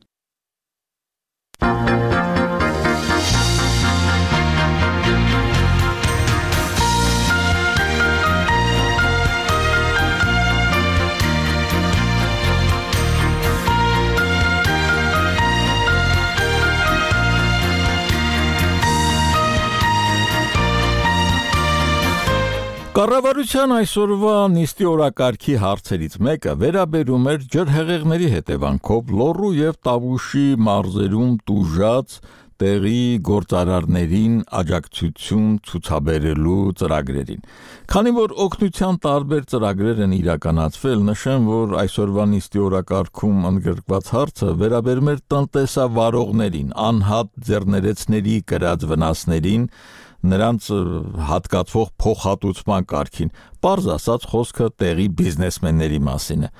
Կառավարության այսօրվա նիստի օրակարգի հարցերից մեկը վերաբերում էր ջրհեղեղների հետևանքով Լոռու եւ Տավուշի մարզերում տուժած տեղի գործարարներին աջակցություն ցուցաբերելու ծրագրերին։ Քանի որ օգնության տարբեր ծրագրեր են իրականացվել, նշեմ, որ այսօրվա նիստի օրակարգում ընդգրկված հարցը վերաբերում էր տնտեսավարողներին, անհատ ձեռներեցների կրած վնասներին, նրանց հատկացվող փոխհատուցման կարգին, պարզ ասած խոսքը տեղի բիզնեսմենների մասին է,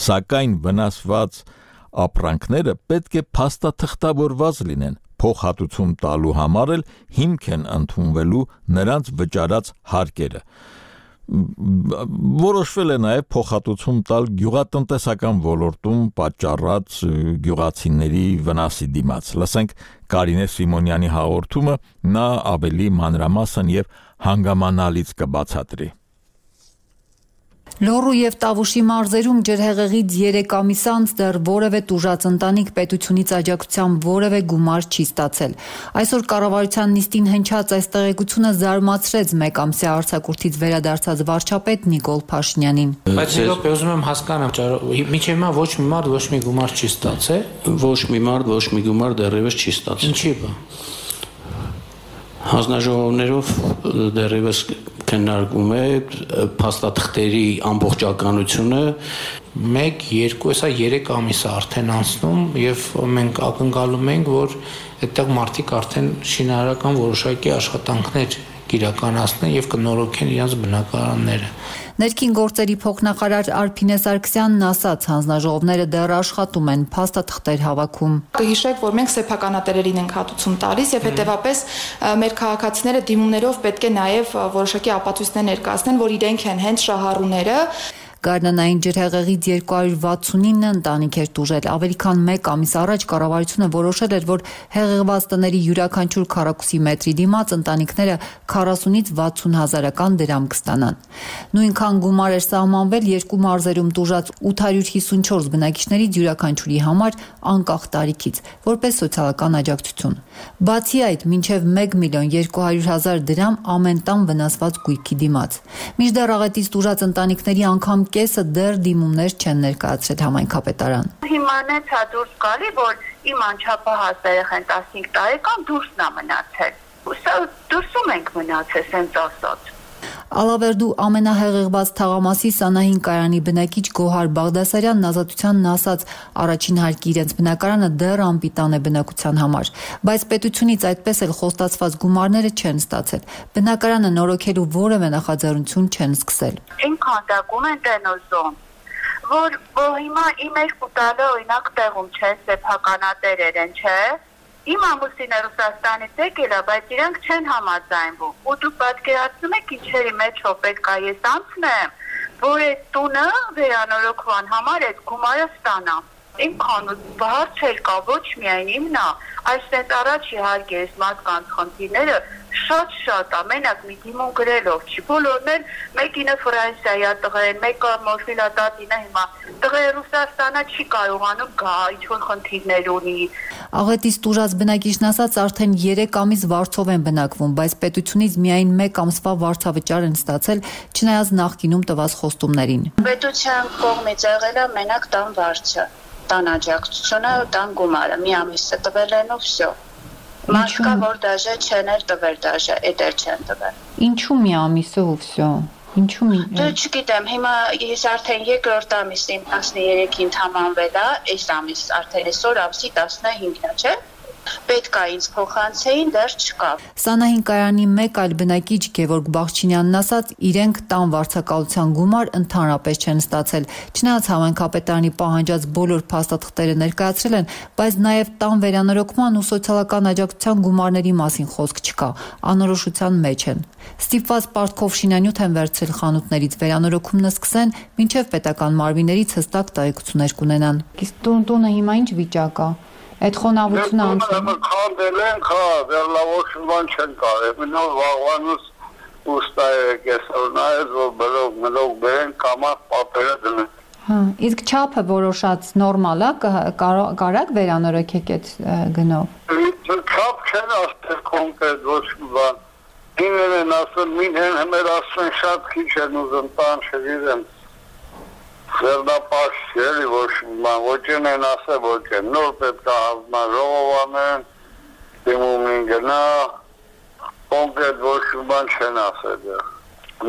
սակայն վնասված ապրանքները պետք է փաստաթղթավորված լինեն, փոխհատուցում տալու համար էլ հիմք են ընդունվելու նրանց վճարած հարկերը։ Որոշվել է նաև փոխհատուցում տալ գյուղատնտեսական ոլորտում պատճառած գյուղացիների վնասի դիմաց։ Լսենք Կարինե Սիմոնյանի հաղորդումը, նա ավելի մանրամասն եւ հանգամանալից կբացատրի։ Լոռու եւ Տավուշի մարզերում ջրհեղեղից 3 ամիս անց դեռ որևէ տուժած ընտանիք պետությունից աջակցությամբ որևէ գումար չի ստացել։ Այսօր կառավարության նիստին հնչած այս տեղեկությունը զարմացրեց մեկ ամսյա արձակուրդից վերադարձած վարչապետ Նիկոլ Փաշինյանին։ Բայց իրոք ուզում եմ հասկանամ, մինչև հիմա ոչ մի մարդ ոչ մի գումար չի ստացել։ Ոչ մի մարդ ոչ մի գումար դեռևս չի ստացել։ Ինչի՞ բա։ Հանձնաժողովներով դեռևս քննարկում է փաստաթղթերի ամբողջականությունը 1, 2, հեսա 3 ամիս է արդեն անցնում եւ մենք ակնկալում ենք, որ այդտեղ մարդիկ արդեն շինարարական որոշակի աշխատանքներ կիրականացնեն եւ կնորոգեն իրենց բնակարանները։ Ներքին գործերի փոխնախարար Արփինե Սարգսյանն ասաց, հանձնաժողովները դեռ աշխատում են, փաստաթղթեր հավաքում։ Կհիշեք, որ մենք սեփականատերերին ենք հատուցում տալիս եւ հետեւապես մեր քաղաքացիները դիմումներով պետք է նաեւ որոշակի ապացույցներ ներկայացնեն, որ իրենք են հենց շահառուները։ Գարնանային ջրհեղեղից 269 ընտանիք էր տուժել։ Ավելի քան 1 ամիս առաջ կառավարությունը որոշել էր, որ հեղեղված տների յուրաքանչյուր քառակուսի մետրի դիմաց ընտանիքները 40-ից 60 հազարական դրամ կստանան։ Նույնքան գումար էր սահմանվել երկու մարզերում տուժած 854 բնակիչներից յուրաքանչյուրի համար անկախ տարիքից, որպես սոցիալական աջակցություն։ Բացի այդ, մինչև 1.200.000 դրամ ամեն տան վնասված գույքի դիմաց։ Մինչդեռ աղետից տուժած ընտանիքների անգամ կեսը դեռ դիմումներ չեն ներկայացրել համայնքապետարան։ Հիմանից է դուրս գալի, որ իմ անչափահաս երեխան 15 տարեկան դուրսն է մնացել։ Սա դուրսում ենք մնացել, սենց ասած։ Ալավերդու ամենահեղեղված թաղամասի Սանահին կայանի բնակիչ Գոհար Բաղդասարյանն ազատությանն ասաց, առաջին հարկի իրենց բնակարանը դեռ անպիտան է բնակության համար, բայց պետությունից այդպես էլ խոստացված գումարները չեն ստացել։ Բնակարանը նորոգելու որևէ նախաձեռնություն չեն սկսել։ Ինք հանդակում են տենոզոն, որ հիմա իմ երկու տալը օրինակ տեղում չէ, սեփականատերեր են, չէ։ Իմ ամուսինը Ռուսաստանից եկել է, բայց իրանք չեն համաձայնվում։ Ու դու պատկերացնում եք ինչերի մեջով պետք է ես անցնեմ, որ այդ տունը վերանորոգման համար այդ գումարը ստանամ։ Իմ քանուց բարձր կա ոչ միայն իմն է, այստեղ առաջ իհարկե այս մարդկանց խնդիրները շատ է, մենակ մի դիմում գրելով չի, բոլորն էլ մեկինը Ֆրանսիայի է տղեն, մեկը մորֆիլա տատինը հիմա, տղե Ռուսաստանը չի կարողանում գա, ինչ-որ խնդիրներ ունի։ Աղետից տուժած բնակիչն ասաց արդեն 3 ամիս վարձով են բնակվում, բայց պետությունից միայն 1 ամսվա վարձավճար են ստացել, չնայած նախկինում տված խոստումներին։ Պետության կողմից եղել է մենակ տան վարձը, տան աջակցությունը, տան գումարը, մի ամիսը տվել են ու վсё։ Մաշկա որ դաժե չեն էլ տվել դաժե, էդեր չեն տվել։ Ինչու մի ամիսը ու վсё։ Ինչու՞ մի։ Դե չգիտեմ, հիմա ես արդեն 2-րդ ամիսին 13-ին թամանվել է, այս ամիս արդեն այսօր ամսի 15-ն է, չէ՞։ Պետք է ինձ փոխանցեին, դեռ չկա։ Սանահին կայարանի մեկ այլ բնակիչ Գևորգ Բախչինյանն ասաց, իրենք տան վարձակալության գումար ընդհանրապես չեն ստացել։ Չնայած համայնքապետարանի պահանջած բոլոր փաստաթղթերը ներկայացրել են, բայց նաև տան վերանորոգման ու սոցիալական աջակցության գումարների մասին խոսք չկա, անորոշության մեջ են։ Ստիպված պարտքով շինանյութ են վերցրել խանութներից, վերանորոգումն սկսեն, մինչև պետական մարմիններից հստակ տեղեկություններ կունենան։ Իսկ տունը հիմա ինչ վիճակ է։ Այդ խոնավությունը անցնում քանդել են, վերլավոշման չեն կարել։ Մինոր վաղվանուց ուստայը կեսօրնայից, որ բլոգ բերեն, կամակ պապերը դնեն։ Հա, իսկ չափը որոշած նորմալ է, կարակ վերանորոգեք այդ գնով։ Չափ չեն ասել կոնկրետ ոչ մի բան։ Ինքն են ասել, մինեն հմեր ասեն շատ քիչ են ուզում տան չգիտեմ։ Վերնապաշ էլի ոչ են ասել, ոչ են նոր պետք է հավման ժողովանեն, դիմումին գնա, կոնկրետ ոչ բան չեն ասել։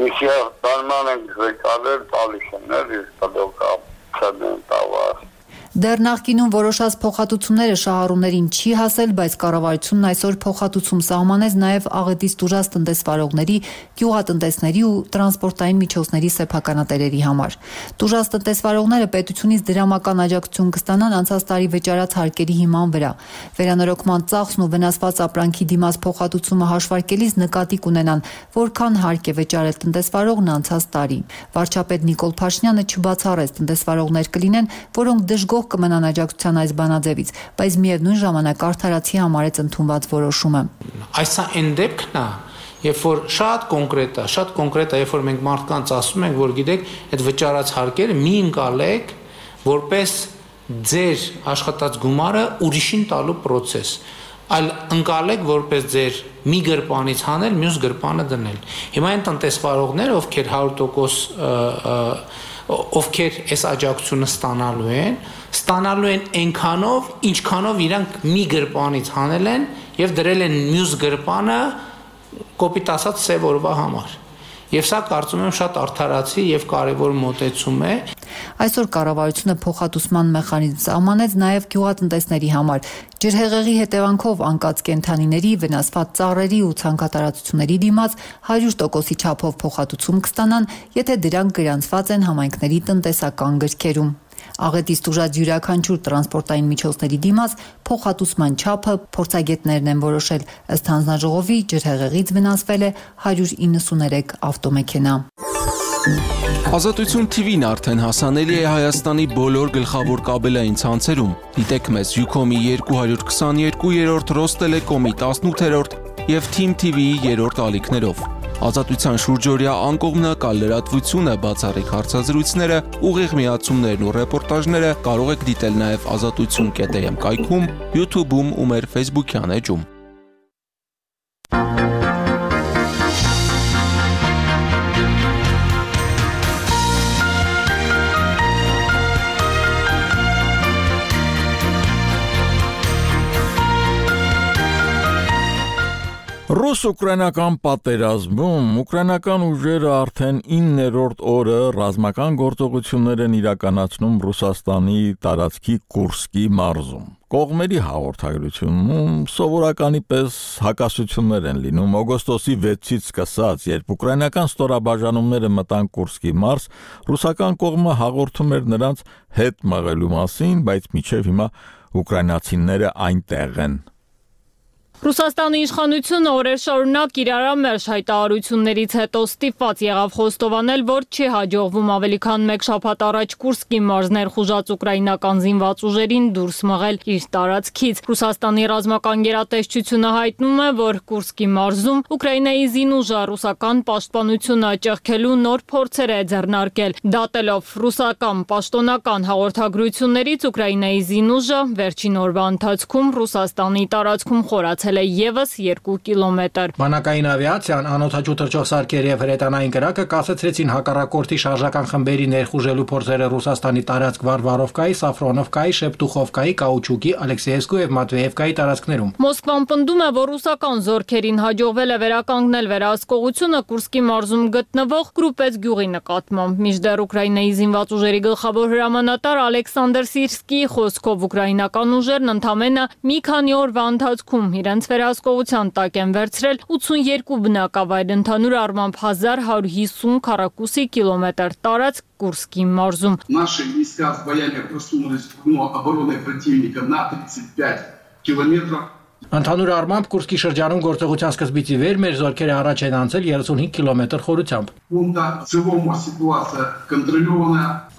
Միսիա տանման են գրեկալել տալիս են, էլի տդոկա չեն տավար։ Դեռ նախկինում որոշած փոխհատուցումները շահառուներին չի հասել, բայց կառավարությունն այսօր փոխհատուցում սահմանեց նաև աղետից տուժած տնտեսվարողների, գյուղատնտեսների ու տրանսպորտային միջոցների սեփականատերերի համար։ Տուժած տնտեսվարողները պետությունից դրամական աջակցություն կստանան անցած տարի վճարած հարկերի հիման վրա։ Վերանորոգման ծախսն ու վնասված ապրանքի դիմաց փոխհատուցումը հաշվարկելիս նկատի կունենան, որքան հարկ է վճարել տնտեսվարողն անցած տարի։ Վարչապետ Նիկոլ Փաշինյանը չբացառեց տնտեսվարողներ կլինեն, որոնք դժգոհ կմնան աջակցության այս բանաձևից, բայց միևնույն ժամանակ արդարացի համարեց ընդունված որոշումը։ Այս այն դեպքն է, երբ որ շատ կոնկրետ է, երբ որ մենք մարդկանց ասում ենք, որ գիտեք, այդ վճարած հարկերը մի ընկալեք, որպես ձեր աշխատած գումարը ուրիշին տալու process, այլ ընկալեք, որպես ձեր մի գրպանից հանել, մյուս գրպանը դնել։ Հիմա այն տնտեսվարողները, ովքեր 100% ովքեր այս աջակցությունը ստանալու են այնքանով, ինչքանով իրանք մի գրպանից հանել են եւ դրել են մյուս գրպանը կոպիտ ասած սև օրվա համար։ Եվ սա կարծում եմ շատ արդարացի եւ կարեւոր մոտեցում է։ Այսօր կառավարությունը փոխհատուցման մեխանիզմ սահմանեց նաև գյուղատնտեսների համար։ Ջրհեղեղի հետևանքով անկած կենդանիների, վնասված ծառերի ու ցանքատարածությունների դիմաց 100%-ի չափով փոխհատուցում կստանան, եթե դրանք գրանցված են համայնքների տնտեսական գրքերում։ Աղետից տուժած յուրաքանչյուր տրանսպորտային միջոցների դիմաց փոխհատուցման չափը փորձագետներն են որոշել։ Ըստ հանձնաժողովի ջրհեղեղից վնասվել է 193 ավտոմեքենա։ Ազատություն TV-ն արդեն հասանելի է Հայաստանի բոլոր գլխավոր կաբելային ցանցերում։ Դիտեք մեզ Ucom-ի 222-րդ, Ռոստելեկոմի 18-րդ եւ Team TV-ի 3-րդ ալիքներով։ Ազատության շուրջօրյա անկողմնակալ լրատվությունը, բացառիկ հարցազրույցները, ուղիղ միացումներն ու ռեպորտաժները կարող եք դիտել նաև azatutsun.am կայքում, YouTube-ում ու մեր Facebook-յան էջում։ Ռուս-ուկրաինական պատերազմում ուկրաինական ուժերը արդեն 9-րդ օրը ռազմական գործողություններ են իրականացնում Ռուսաստանի տարածքի Կուրսկի մարզում։ Կողմերի հաղորդագրությունում սովորականի պես հակասություններ են լինում օգոստոսի 6-ից սկսած, երբ ուկրաինական ստորաբաժանումները մտան Կուրսկի մարզ, ռուսական կողմը հաղորդում էր նրանց հետ մղելու մասին, բայց մինչև հիմա ուկրաինացիները այնտեղ են։ Ռուսաստանի իշխանությունը օրեր շարունակ իր ամերժ հայտարարություններից հետո ստիպված եղավ խոստովանել, որ չի հաջողվում ավելի քան 1 շաբաթ առաջ Կուրսկի մարզներ խուժած ուկրաինական զինված ուժերին դուրս մղել իր տարածքից։ Ռուսաստանի ռազմական գերատեսչությունը հայտնում է, որ Կուրսկի մարզում Ուկրաինայի զինուժը ռուսական պաշտպանությունը ճեղքելու նոր փորձեր է ձեռնարկել։ Դատելով ռուսական պաշտոնական հաղորդագրություններից Ուկրաինայի զինուժը վերջին օրվա ընթացքում Ռուսաստանի տարածքում խորացել է եւս 2 կիլոմետր։ Բանակային ավիացիան, անօդաչու թռչող սարքեր եւ հրետանային կրակը կասեցրեցին հակառակորդի շարժական խմբերի ներխուժելու փորձերը Ռուսաստանի տարածք Վարվարովկայի, Սաֆրոնովկայի, Շեպտուխովկայի, Կաուչուկի, Ալեքսեևսկու եւ Մատվեևկայի տարածքներում։ Մոսկվան պնդում է, որ ռուսական զորքերին հաջողվել է վերականգնել վերահսկողությունը Կուրսկի մարզում գտնվող Կրուպեց գյուղի նկատմամբ։ Մինչդեռ Ուկրաինայի զինված ուժերի գլխավոր հրամանատար Ալեքսանդր Սիրսկիի խոսքով ուկրաինական ուժերն ընդամենը մի քանի օրվա ընթացքում իրենց վերահսկողության տակ են վերցրել 82 բնակավայր, ընդհանուր առմամբ 1150 քառակուսի կիլոմետր տարածք Կուրսկի մարզում։ Наши войска с боями просунулись в окно обороны противника на 35 километров. Ընդհանուր առմամբ Կուրսկի շրջանում գործողության սկզբից ի վեր մեր զորքերը առաջ են անցել 35 կիլոմետր խորությամբ։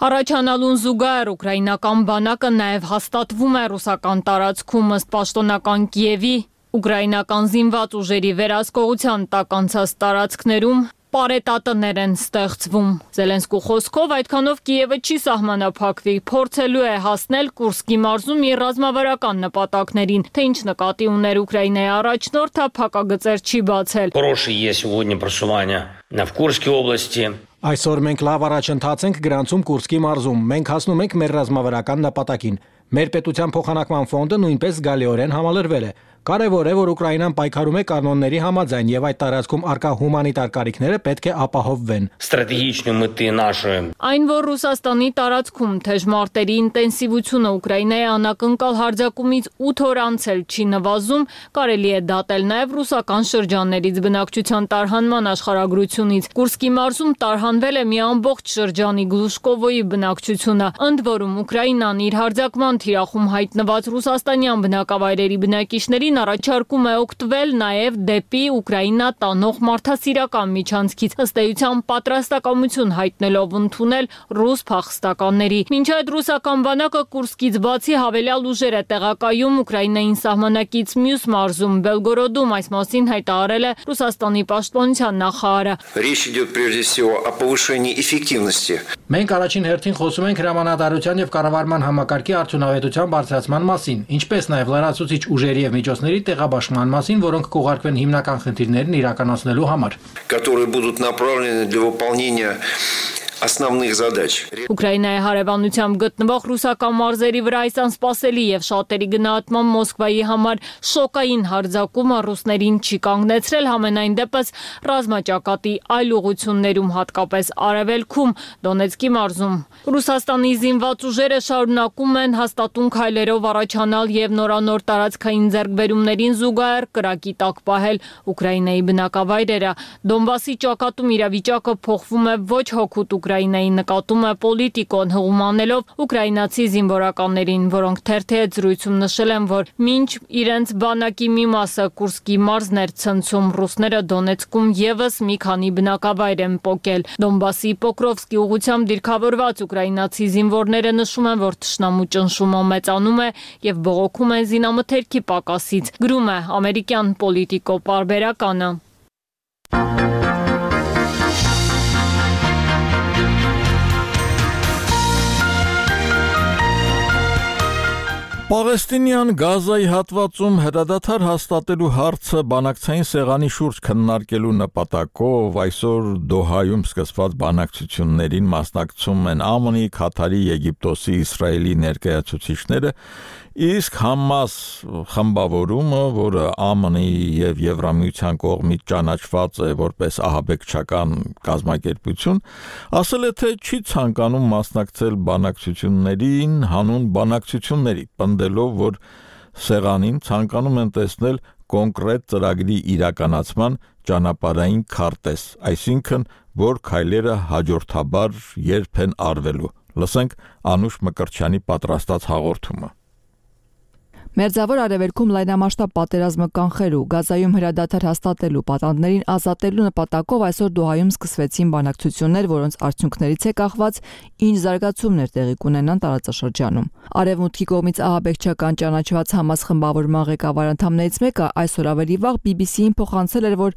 Առաջանալուն զուգահեռ ուկրաինական բանակը նաև հաստատվում է ռուսական տարածքում ըստ պաշտոնական Կիևի ուկրաինական զինված ուժերի վերահսկողության տակ անցած տարածքներում պարետատներ են ստեղծվում։ Զելենսկու խոսքով այդքանով Կիևը չի սահմանափակվի, փորձելու է հասնել Կուրսկի մարզում իր ռազմավարական նպատակներին, թե ինչ նկատի ուներ Ուկրաինայի առաջնորդը փակագծեր չի բացել։ Хорошее есть сегодня просування в Курской области. Այսօր մենք լավ առաջընթաց ենք գրանցում Կուրսկի մարզում։ Մենք հասնում ենք մեր ռազմավարական նպատակին։ Մեր պետության փոխանակման ֆոնդը նույնպես զգալիորեն համալրվել է։ Կարևոր է, որ Ուկրաինան պայքարում է կանոնների համաձայն եւ այդ տարածքում արկա հումանիտար կարիքները պետք է ապահովվեն։ Стратегічні мети нашої. Այն, որ Ռուսաստանի տարածքում թեժ մարտերի ինտենսիվությունը Ուկրաինայի անակնկալ հարձակումից 8 օր անցել չի նվազում, կարելի է դատել նաեւ ռուսական շրջաններից բնակչության տարհանման աշխարհագրությունից։ Կուրսկի մարզում տարհանվել է մի ամբողջ շրջանի Գլուշկովոյի բնակչությունը, ընդ որում Ուկրաինան իր հարձակման թիրախում հայտնված ռուսաստանյան բնակավայրերի բնակիչների առաջարկում է օգտվել նաև դեպի Ուկրաինա տանող մարդասիրական միջանցքից, ըստ էության պատրաստակամություն հայտնելով ընդունել ռուս փախստականների։ Մինչ այդ ռուսական բանակը Կուրսկից բացի հավելյալ ուժեր է տեղակայում Ուկրաինային սահմանակից մյուս մարզում Բելգորոդում, այս մասին հայտարարել է Ռուսաստանի պաշտպանության նախարարը։ Речь идет прежде всего о повышении эффективности. Մենք առաջին հերթին խոսում ենք հրամանատարության եւ կառավարման համակարգի արդյունավետության բարձրացման մասին, ինչպես նաև լրացուցիչ ուժերի եւ միջոցների տեղաբաշխման մասին, որոնք կուղարկվեն հիմնական խնդիրներն իրականացնելու համար, которые будут направлены для выполнения основных задач. Ուկրաինայի հարևանությամբ գտնվող ռուսական մարզերի վրա այս անսպասելի եւ շատերի գնահատման Մոսկվայի համար շոկային հարձակումը ռուսներին չի կանգնեցրել, համենայն դեպս ռազմաճակատի այլ ուղություններում, հատկապես արևելքում, Դոնեցկի մարզում։ Ռուսաստանի զինված ուժերը շարունակում են հաստատուն քայլերով առաջանալ եւ նորանոր տարածքային ձեռքբերումներին զուգահեռ կրակի տակ պահել Ուկրաինայի բնակավայրերը։ Դոնբասի ճակատում իրավիճակը փոխվում է ոչ հոգուտ Ուկրաինայի նկատում է Պոլիտիկոն հղումանելով ուկրաինացի զինվորականներին, որոնք թերթի զրույցում նշել են, որ մինչ իրենց բանակի մի մասը Կուրսկի մարզներ ցնցում, ռուսները Դոնեցկում եւս մի քանի բնակավայր են պոկել։ Դոնբասի Պոկրովսկի ուղությամբ դիրքավորված ուկրաինացի զինվորները նշում են, որ թշնամու ճնշումը մեծանում է եւ բողոքում են զինամթերքի պակասից։ Գրում է ամերիկյան Պոլիտիկո պարբերականը։ Պաղեստինյան Գազայի հատվածում հրադադար հաստատելու հարցը բանակցային սեղանի շուրջ քննարկելու նպատակով այսօր Դոհայում սկսված բանակցություններին մասնակցում են ԱՄՆ-ի, Քաթարի, Եգիպտոսի, Իսրայելի ներկայացուցիչները, իսկ Համաս խմբավորումը, որը ԱՄՆ-ի եւ Եվրամիության կողմից ճանաչված է որպես ահաբեկչական կազմակերպություն, ասել է, թե չի ցանկանում մասնակցել բանակցություններին հանուն բանակցությունների, պնդելով, որ սեղանին ցանկանում են տեսնել կոնկրետ ծրագրի իրականացման ճանապարհային քարտեզ, այսինքն, որ քայլերը հաջորդաբար երբ են արվելու։ Լսենք Անուշ Մկրտչյանի պատրաստած հաղորդումը։ Մերձավոր Արևելքում լայնամասշտաբ պատերազմը կանխելու, Գազայում հրադադար հաստատելու, պատանդներին ազատելու նպատակով այսօր Դոհայում սկսվեցին բանակցություններ, որոնց արդյունքներից է կախված ինչ զարգացումներ տեղի կունենան տարածաշրջանում։ Արևմուտքի կողմից ահաբեկչական ճանաչված Համաս խմբավորման ղեկավար անդամներից մեկը այսօր ավելի վաղ BBC-ին փոխանցել էր, որ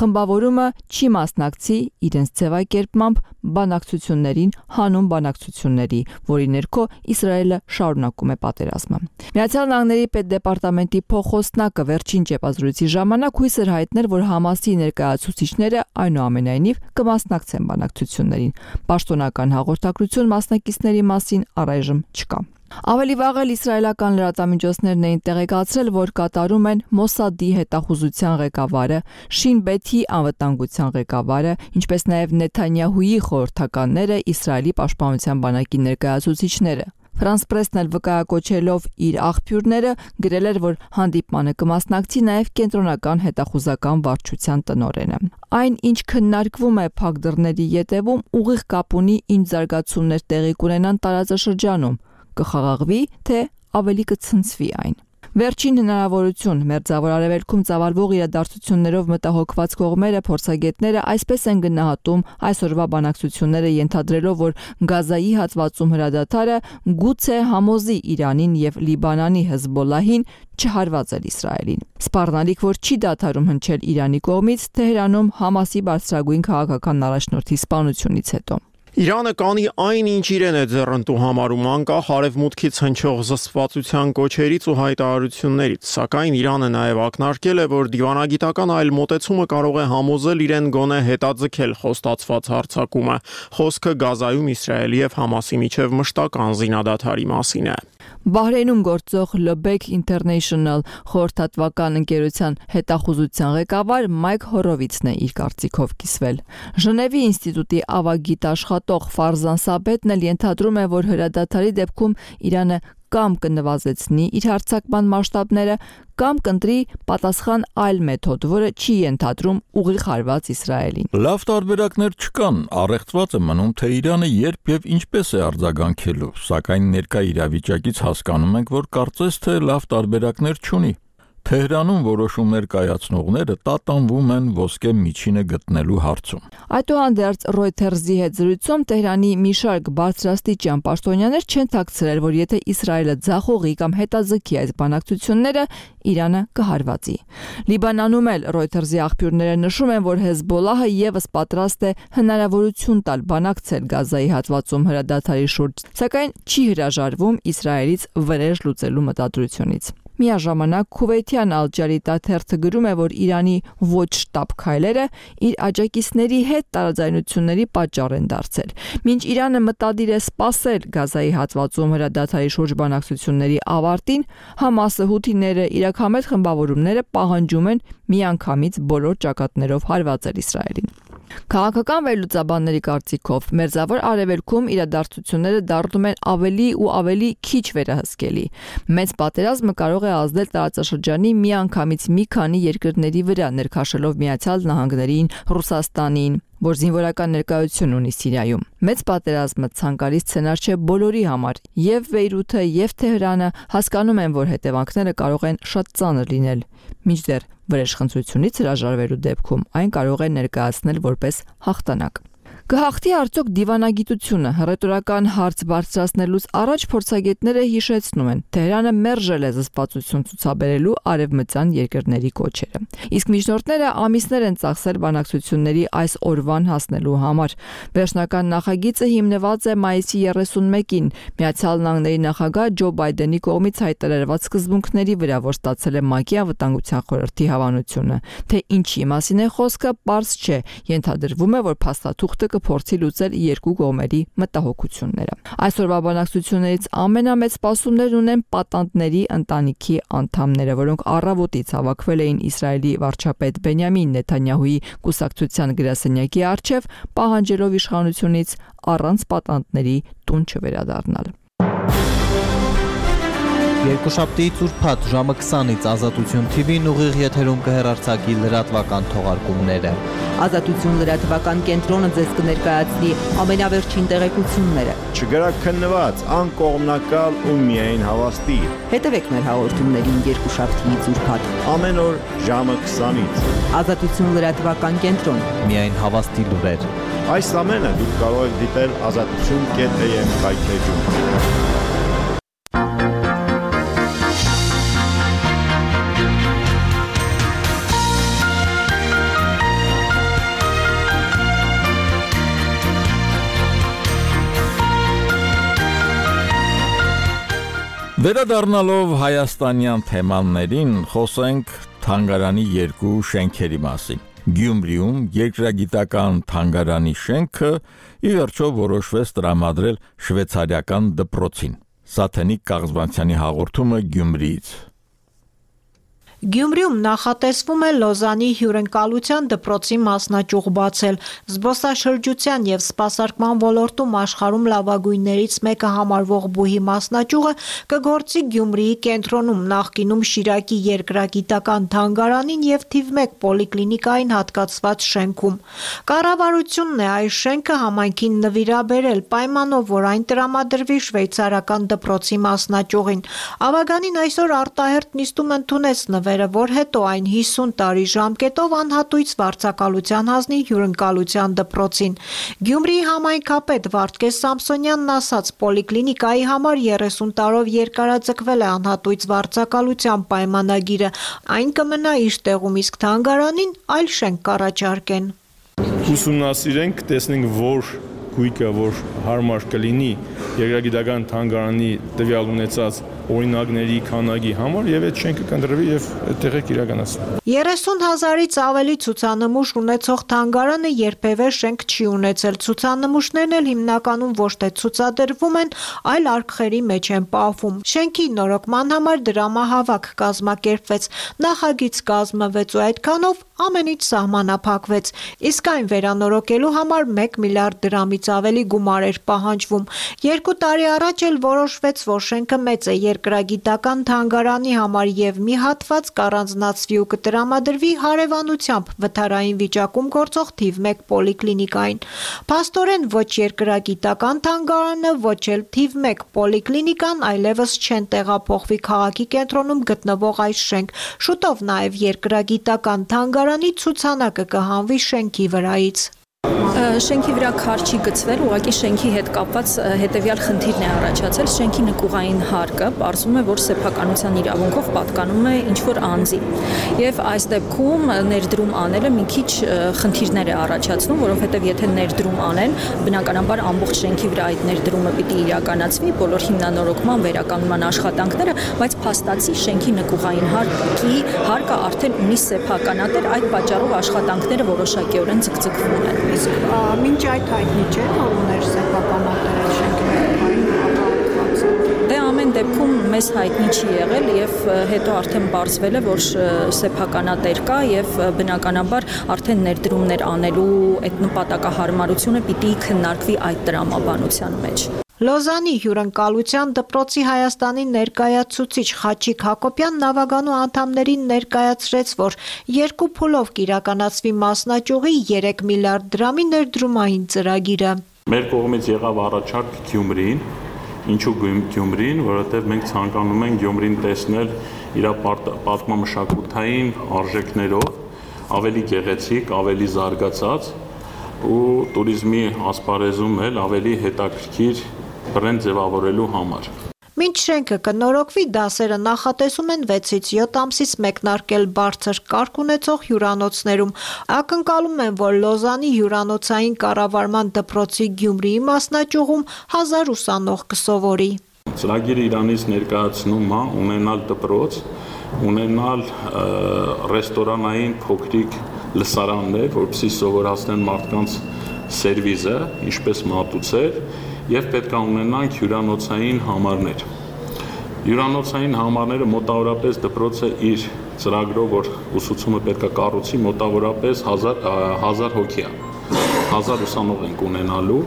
խմբավորումը չի մասնակցի իրենց ձևակերպմամբ բանակցություններին, հանուն բանակցությունների, որի ներքո Իսրայելը շարունակում է պատերազմը։ Միացյալ Նահանգների պետդեպարտամենտի փոխոսնակը վերջին ճեպազրույցի ժամանակ հույս էր հայտնել, որ Համասի ներկայացուցիչները այնուամենայնիվ կմասնակցեն բանակցություններին։ Պաշտոնական հաղորդակցություն մասնակիցների մասին առայժմ չկա։ Ավելի վաղ էլ իսրայելական լրատվամիջոցներն էին տեղեկացրել, որ կատարում են Մոսադի հետախուզության ղեկավարը, Շին Բեթի անվտանգության ղեկավարը, ինչպես նաև Նեթանյահուի խորհրդականները, Իսրայելի պաշտպանության բանակի ներկայացուցիչները։ Ֆրանս Պրեսն էլ վկայակոչելով իր աղբյուրները գրել էր, որ հանդիպմանը կմասնակցի նաև կենտրոնական հետախուզական վարչության տնօրենը։ Այն, ինչ քննարկվում է փակ դռների ետևում, ուղիղ կապ ունի ինչ զարգացումներ տեղի կունենան տարածաշրջանում, կխաղաղվի, թե ավելի կցնցվի այն։ Վերջին հնարավորություն Մերձավոր Արևելքում ծավալվող իրադարձություններով մտահոգված կողմերը, փորձագետները այսպես են գնահատում այսօրվա բանակցությունները, ենթադրելով, որ Գազայի հատվածում հրադադարը գուցե համոզի Իրանին եւ Լիբանանի Հեզբոլլահին չհարվածել Իսրայելին։ Սպառնալիք, որ չի դադարում հնչել Իրանի կողմից Թեհրանում Համասի բարձրագույն քաղաքական առաջնորդի սպանությունից հետո։ Իրանը կանի այն, ինչ իրեն է ձեռնտու համարում, անկախ արևմուտքից հնչող զսպվածության կոչերից ու հայտարարություններից, սակայն Իրանը նաև ակնարկել է, որ դիվանագիտական այլ մոտեցումը կարող է համոզել իրեն գոնե հետաձգել խոստացված հարձակումը։ Խոսքը Գազայում Իսրայելի եւ Համասի միջև մշտական զինադադարի մասին է։ Բահրեյնում գործող Lobek International խորհրդատվական ընկերության հետախուզության ղեկավար Մայք Հորովիցն է իր կարծիքով կիսվել։ Ժնևի ինստիտուտի ավագիտ աշխատող Ֆարզան Սաբետն էլ ենթադրում է, որ հրադադարի դեպքում Իրանը կամ կնվազեցնի իր հարձակման մասշտաբները, կամ կընտրի պատասխան այլ մեթոդ, որը չի ենթադրում ուղիղ հարված Իսրայելին։ Լավ տարբերակներ չկան, առեղծված է մնում, թե Իրանը երբ եւ ինչպես է արձագանքելու, սակայն ներկա իրավիճակից հասկանում ենք, որ կարծես թե լավ տարբերակներ չունի։ Թեհրանում որոշումներ կայացնողները տատանվում են ոսկե միջինը գտնելու հարցում։ Այդուհանդերձ Reuters-ի հետ զրույցում Թեհրանի մի շարք բարձրաստիճան պաշտոնյաներ չեն թաքցրել, որ եթե Իսրայելը ձախողի կամ հետաձգի այս բանակցությունները, Իրանը կհարվածի։ Լիբանանում էլ Reuters-ի աղբյուրները նշում են, որ Հեզբոլլահը եւս պատրաստ է հնարավորություն տալ բանակցել Գազայի հատվածում հրադադարի շուրջ, սակայն չի հրաժարվում Իսրայելից վրեժ լուծելու մտադրությունից։ Միաժամանակ Քուվեյթյան Ալ-Ջարիդա թերթը գրում է, որ Իրանի ոչ շտապ քայլերը իր աջակիցների հետ տարաձայնությունների պատճառ են դարձել։ Մինչ Իրանը մտադիր է սպասել Գազայի հատվածում հրադադարի շուրջ բանակցությունների ավարտին, Համասը, Հութիները, իրաքամետ խմբավորումները պահանջում են միանգամից բոլոր ճակատներով հարվածել Իսրայելին։ Քաղաքական վերլուծաբանների կարծիքով Մերձավոր Արևելքում իրադարձությունները դառնում են ավելի ու ավելի քիչ վերահսկելի։ Մեծ պատերազմը կարող է ազդել տարածաշրջանի միանգամից մի քանի երկրների վրա, ներքաշելով Միացյալ Նահանգներին, Ռուսաստանին, որ զինվորական ներկայություն ունի Սիրիայում։ Մեծ պատերազմը ցանկալի սցենար չէ բոլորի համար, եւ Բեյրութը, եւ Թեհրանը հասկանում են, որ հետևանքները կարող են շատ ծանր լինել։ Մինչդեռ վրեժխնդրությունից հրաժարվելու դեպքում այն կարող է ներկայացնել որպես հաղթանակ։ Կհաղթի արդյոք դիվանագիտությունը, հռետորական հարց բարձրացնելուց առաջ փորձագետները հիշեցնում են, Թեհրանը մերժել է զսպվածություն ցուցաբերելու արևմտյան երկրների կոչերը։ Իսկ միջնորդները ամիսներ են ծախսել բանակցությունների այս օրվան հասնելու համար։ Վերջնական նախագիծը հիմնված է մայիսի 31-ին Միացյալ Նահանգների նախագահ Ջո Բայդենի կողմից հայտարարված սկզբունքների վրա, որ ստացել է ՄԱԿ-ի անվտանգության խորհրդի հավանությունը։ Թե ինչի մասին է խոսքը, պարզ չէ, ենթադրվում է, որ փաստաթուղթը փորձի լուծել երկու կողմերի մտահոգությունները։ Այսօրվա բանակցություններից ամենամեծ սպասումներն ունեն պատանդների ընտանիքի անդամները, որոնք առավոտից հավաքվել էին Իսրայելի վարչապետ Բենյամին Նեթանյահուի կուսակցության գրասենյակի առջև, պահանջելով իշխանությունից առանց պատանդների տուն չվերադառնալ։ Երկուշաբթի ծուրփաթ ժամը 20-ից Ազատություն TV-ն ուղիղ եթերում կհեռարձակի լրատվական թողարկումները։ Ազատություն լրատվական կենտրոնը ձեզ կներկայացնի ամենավերջին տեղեկությունները։ Չգրաքննված, անկողմնակալ ու միայն հավաստի։ Հետևեք մեր հաղորդումներին երկուշաբթի ծուրփաթ ամեն օր ժամը 20-ից։ Ազատություն լրատվական կենտրոն, միայն հավաստի լուրեր։ Այս ամենը դուք կարող եք դիտել azatutun.am կայքեջում։ Վերադառնալով հայաստանյան թեմաներին, խոսենք թանգարանի երկու շենքերի մասին։ Գյումրիում երկրագիտական թանգարանի շենքը ի վերջո որոշվեց տրամադրել շվեյցարիական դպրոցին։ Սաթենիկ Կաղզբանցյանի հաղորդումը Գյումրիից։ Գյումրիում նախատեսվում է Լոզանի հյուրընկալության դպրոցի մասնաճյուղ բացել։ Զբոսաշրջության եւ սպասարկման ոլորտում աշխարհում լավագույններից մեկը համարվող բուհի մասնաճյուղը կգործի Գյումրիի կենտրոնում, նախկինում Շիրակի երկրագիտական թանգարանին եւ թիվ 1 պոլիկլինիկային հատկացված շենքում։ Կառավարությունն է այս շենքը համայնքին նվիրաբերել պայմանով, որ այն տրամադրվի շվեյցարական դպրոցի մասնաճյուղին։ Ավագանին այսօր արտահերթ նիստում ընդունեց որ հետո այն 50 տարի ժամկետով անհատույց վարձակալության հանձնի հյուրընկալության դպրոցին։ Գյումրիի համայնքապետ Վարդգես Սամսոնյանն ասաց, պոլիկլինիկայի համար 30 տարով երկարաձգվել է անհատույց վարձակալության պայմանագիրը, այն կմնա իր տեղում, իսկ թանգարանին այլ շենք կառաջարկեն։ Ուսումնասիրենք, տեսնենք, որ գույքը, որ հարմար կլինի երկրագիտական թանգարանի տվյալ ունեցած օրինակների քանակի համար եւ այդ շենքը կընտրվի եւ այդտեղ իրականացվի։ 30,000-ից ավելի ցուցանմուշ ունեցող թանգարանը երբևէ շենք չի ունեցել։ Ցուցանմուշներն էլ հիմնականում ոչ թե ցուցադրվում են, այլ արկղերի մեջ են պահվում։ Շենքի նորոգման համար դրամահավաք կազմակերպվեց, նախագիծ կազմվեց ու այդքանով ամեն ինչ սահմանափակվեց։ Իսկ այն վերանորոգելու համար 1 միլիարդ դրամից ավելի գումար էր պահանջվում։ 2 տարի առաջ էլ որոշվեց, որ շենքը մեծ է երկրագիտական թանգարանի համար եւ մի հատված կառանձնացվի ու կտրամադրվի հարևանությամբ վթարային վիճակում գործող թիվ 1 պոլիկլինիկային։ Փաստորեն ոչ երկրագիտական թանգարանը, ոչ էլ թիվ 1 պոլիկլինիկան այլևս չեն տեղափոխվի քաղաքի կենտրոնում գտնվող այս շենք։ Շուտով նաեւ երկրագիտական թանգարանի ցուցանակը կհանվի շենքի վրայից։ Շենքի վրա քար չի գծվել, ուղղակի շենքի հետ կապված հետևյալ խնդիրն է առաջացել։ Շենքի նկուղային հարկը պարզվում է, որ սեփականության իրավունքով պատկանում է ինչ-որ անձի։ Եվ այս դեպքում ներդրում անելը մի քիչ խնդիրներ է առաջացնում, որովհետև եթե ներդրում անեն, բնականաբար ամբողջ շենքի վրա այդ ներդրումը պիտի իրականացվի, բոլոր հիմնանորոգման, վերականգնման աշխատանքները, բայց փաստացի շենքի նկուղային հարկը արդեն ունի սեփականատեր, այդ պատճառով աշխատանքները որոշակիորեն ձգձգվում են։ Մինչ այդ հայտնի չէ, որ ուներ սեփականատեր շենքի։ Դե ամեն դեպքում մեզ հայտնի չի եղել եւ հետո արդեն բարձվել է, որ սեփականատեր կա եւ բնականաբար արդեն ներդրումներ անելու այդ նպատակահարմարությունը պիտի քննարկվի այդ տրամաբանության մեջ։ Լոզանի հյուրընկալության դպրոցի Հայաստանի ներկայացուցիչ Խաչիկ Հակոբյանն ավագանու անդամներին ներկայացրեց, որ 2 փուլով կիրականացվի մասնաճյուղի 3 միլիարդ դրամի ներդրումային ծրագիրը։ Մեր կողմից եղավ առաջարկ Գյումրին, ինչու Գյումրին, որովհետև մենք ցանկանում ենք Գյումրին տեսնել իր պատմամշակութային արժեքներով, ավելի գեղեցիկ, ավելի զարգացած ու туриզմի ասպարեզում էլ ավելի հետաքրքիր բրենդ ձևավորելու համար։ Մինչ շենքը կնորոգվի, դասերը նախատեսում են 6-ից 7 ամսից մեկնարկել բարձր կարգ ունեցող հյուրանոցներում։ Ակնկալում են, որ Լոզանի հյուրանոցային կառավարման դպրոցի Գյումրիի մասնաճյուղում 1000 ուսանող կսովորի։ Ծրագիրը իրանից ներկայացնում է ունենալ դպրոց, ունենալ ռեստորանային փոքրիկ լսարաններ, որպեսզի սովորացնեն մարդկանց սերվիզը, ինչպես մատուցել, եւ պետք է ունենանք հյուրանոցային համարներ։ Հյուրանոցային համարները մոտավորապես դպրոցը իր ծրագրով, որ ուսուցումը պետք է կառուցի, մոտավորապես 1000 հոգի է։ 1000 ուսանող ենք ունենալու,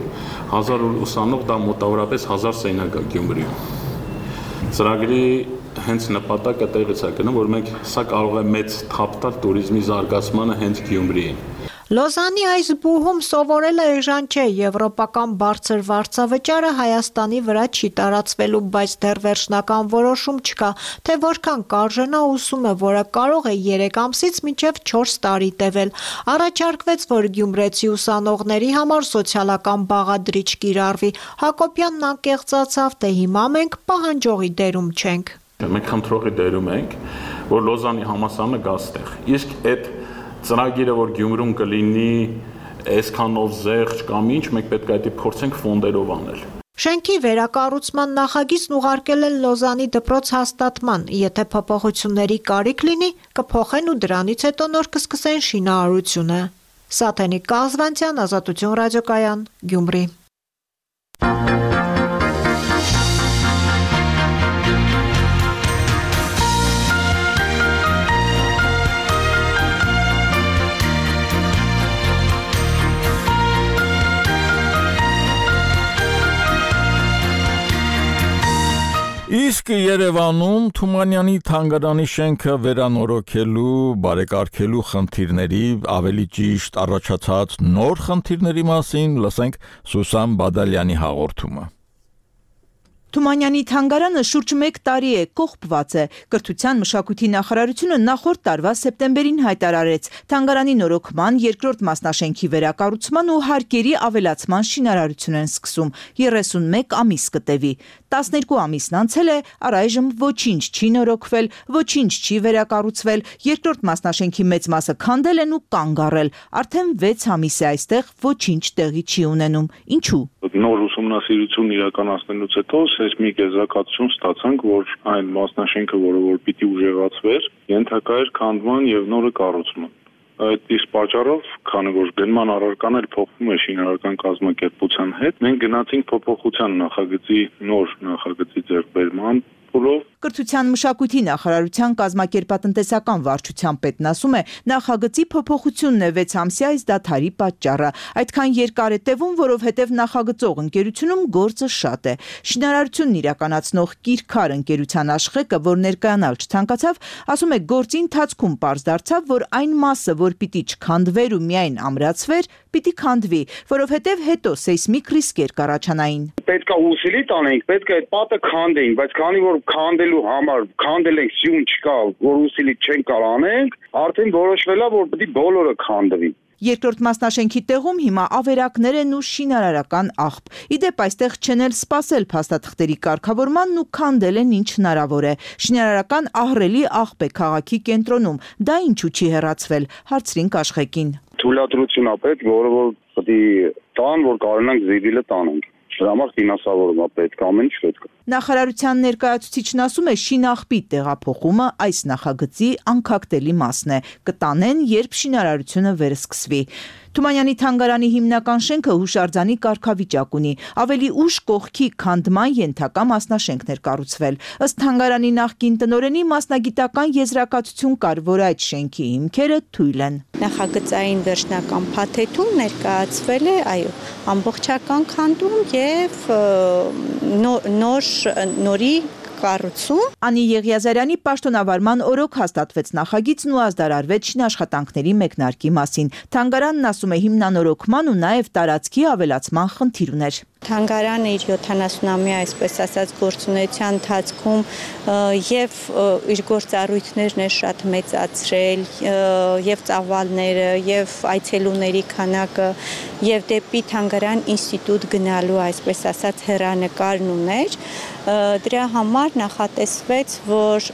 1000 ուսանող դա մոտավորապես 1000 սենյակ է Գյումրիում։ Ծրագրի հենց նպատակը տեղից է գնում, որ մենք սա կարող է մեծ թափ տալ туриզմի զարգացմանը հենց Գյումրիին։ Լոզանի այս բուհում սովորելը էժան չէ, եվրոպական բարձր վարձավճարը Հայաստանի վրա չի տարածվելու, բայց դեռ վերջնական որոշում չկա, թե որքան կարժենա ուսումը, որը կարող է 3 ամսից մինչև 4 տարի տևել։ Առաջարկվեց, որ գյումրեցի ուսանողների համար սոցիալական բաղադրիչ կիրառվի։ Հակոբյանն անկեղծացավ, թե հիմա մենք պահանջողի դերում չենք։ Մենք խնդրողի դերում ենք, որ Լոզանի համալսարանը գա ստեղ։ Իսկ այդ ծրագիրը, որ Գյումրում կլինի այսքանով զեղչ կամ ինչ, մենք պետք է դա փորձենք ֆոնդերով անել։ Շենքի վերակառուցման նախագիծն ուղարկել են Լոզանի դպրոց հաստատման, եթե փոփոխությունների կարիք լինի, կփոխեն ու դրանից հետո նոր կսկսեն շինարարությունը։ Սաթենիկ Կազվանցյան, Ազատություն ռադիոկայան, Գյումրի։ Իսկ Երևանում Թումանյանի թանգարանի շենքը վերանորոգելու, բարեկարգելու խնդիրների, ավելի ճիշտ առաջացած նոր խնդիրների մասին լսենք Սուսան Բադալյանի հաղորդումը։ Թումանյանի թանգարանը շուրջ 1 տարի է կողպված է։ Կրթության մշակույթի նախարարությունը նախորդ տարվա սեպտեմբերին հայտարարեց թանգարանի նորոգման, երկրորդ մասնաշենքի վերակառուցման ու հարկերի ավելացման շինարարություն են սկսում։ 31 ամիս կտևի։ 12 ամիսն անցել է, առայժմ ոչինչ չի նորոգվել, ոչինչ չի վերակառուցվել, երկրորդ մասնաշենքի մեծ մասը քանդել են ու կանգ առել։ Արդեն 6 ամիս է այստեղ ոչինչ տեղի չի ունենում։ Ինչու՞։ Նոր ուսումնասիրություն իրականացնելուց հետո մի եզրակացություն ստացանք, որ այն մասնաշենքը, որը պիտի ուժեղացվեր, ենթակա էր քանդման եւ նորը կառուցման։ Այդ իսկ պատճառով, քանի որ գնման առարական էլ փոխվում է շինարարական կազմակերպության հետ, մենք գնացինք փոփոխության նախագծի նոր նախագծի ձեռքբերման փուլով։ Կրթության մշակույթի նախարարության կազմակերպատնտեսական վարչության պետն ասում է, նախագծի փոփոխությունն է 6 ամսյա այս դադարի պատճառը։ Այդքան երկար է տևում, որովհետև նախագծող ընկերությունում գործը շատ է։ Շինարարությունն իրականացնող Կիրքար ընկերության աշխեկը, որ ներկայանալ չցանկացավ, ասում է, գործի ընթացքում պարզ դարձավ, որ այն մասը, որ պիտի չքանդվեր ու միայն ամրացվեր, պիտի քանդվի, որովհետև հետո սեյսմիկ ռիսկեր կառաջանային։ Պետք է ուսելի տանենք, պետք է այդ պատը քանդենք, բայց քանի որ քանդելու համար քանդել ենք սյուն չկա, որ ուսելի չենք կարող անենք, արդեն որոշվել է, որ պետք է բոլորը քանդվի։ Երկրորդ մասնաշենքի տեղում հիմա ավերակներ են ու շինարարական աղբ։ Իդեպ այստեղ չեն էլ սպասել փաստաթղթերի կարգավորմանն ու քանդել են ինչ հնարավոր է։ Շինարարական ահռելի աղբ է քաղաքի կենտրոնում։ Դա ինչու չի հեռացվել, հարցրինք աշխեկին։ Թույլատրություն է պետք, որը որ պետք է տան, որ կարողանանք զիվիլը տանենք։ Դրա համար ֆինանսավորում է պետք, ամեն ինչ պետք է։ Նախարարության ներկայացուցիչն ասում է, շինաղբի տեղափոխումը այս նախագծի անկախտելի մասն է։ Կտանեն, երբ շինարարությունը վերսկսվի։ Թումանյանի թանգարանի հիմնական շենքը հուշարձանի կարգավիճակ ունի։ Ավելի ուշ կողքի քանդման ենթակա մասնաշենքներ կառուցվել։ Ըստ թանգարանի նախկին տնօրենի մասնագիտական եզրակացություն կար, որ այդ շենքի հիմքերը թույլ են։ Նախագծային վերջնական փաթեթում ներկայացվել է, այո, ամբողջական քանդում եւ նորի կառուցում։ Անի Եղիազարյանի պաշտոնավարման օրոք հաստատվեց նախագիծն ու ազդարարվեց շինաշխատանքների մեկնարկի մասին։ Թանգարանն ասում է, հիմնանորոգման ու նաև տարածքի ավելացման խնդիր ուներ։ Թանգարանը իր 70-ամյա, այսպես ասած, գործունեության ընթացքում եւ իր գործառույթներն է շատ մեծացրել, եւ ծավալները, եւ այցելուների քանակը, եւ դեպի թանգարան ինստիտուտ գնալու, այսպես ասած, հեռանկարն ուներ։ Դրա համար նախատեսվեց, որ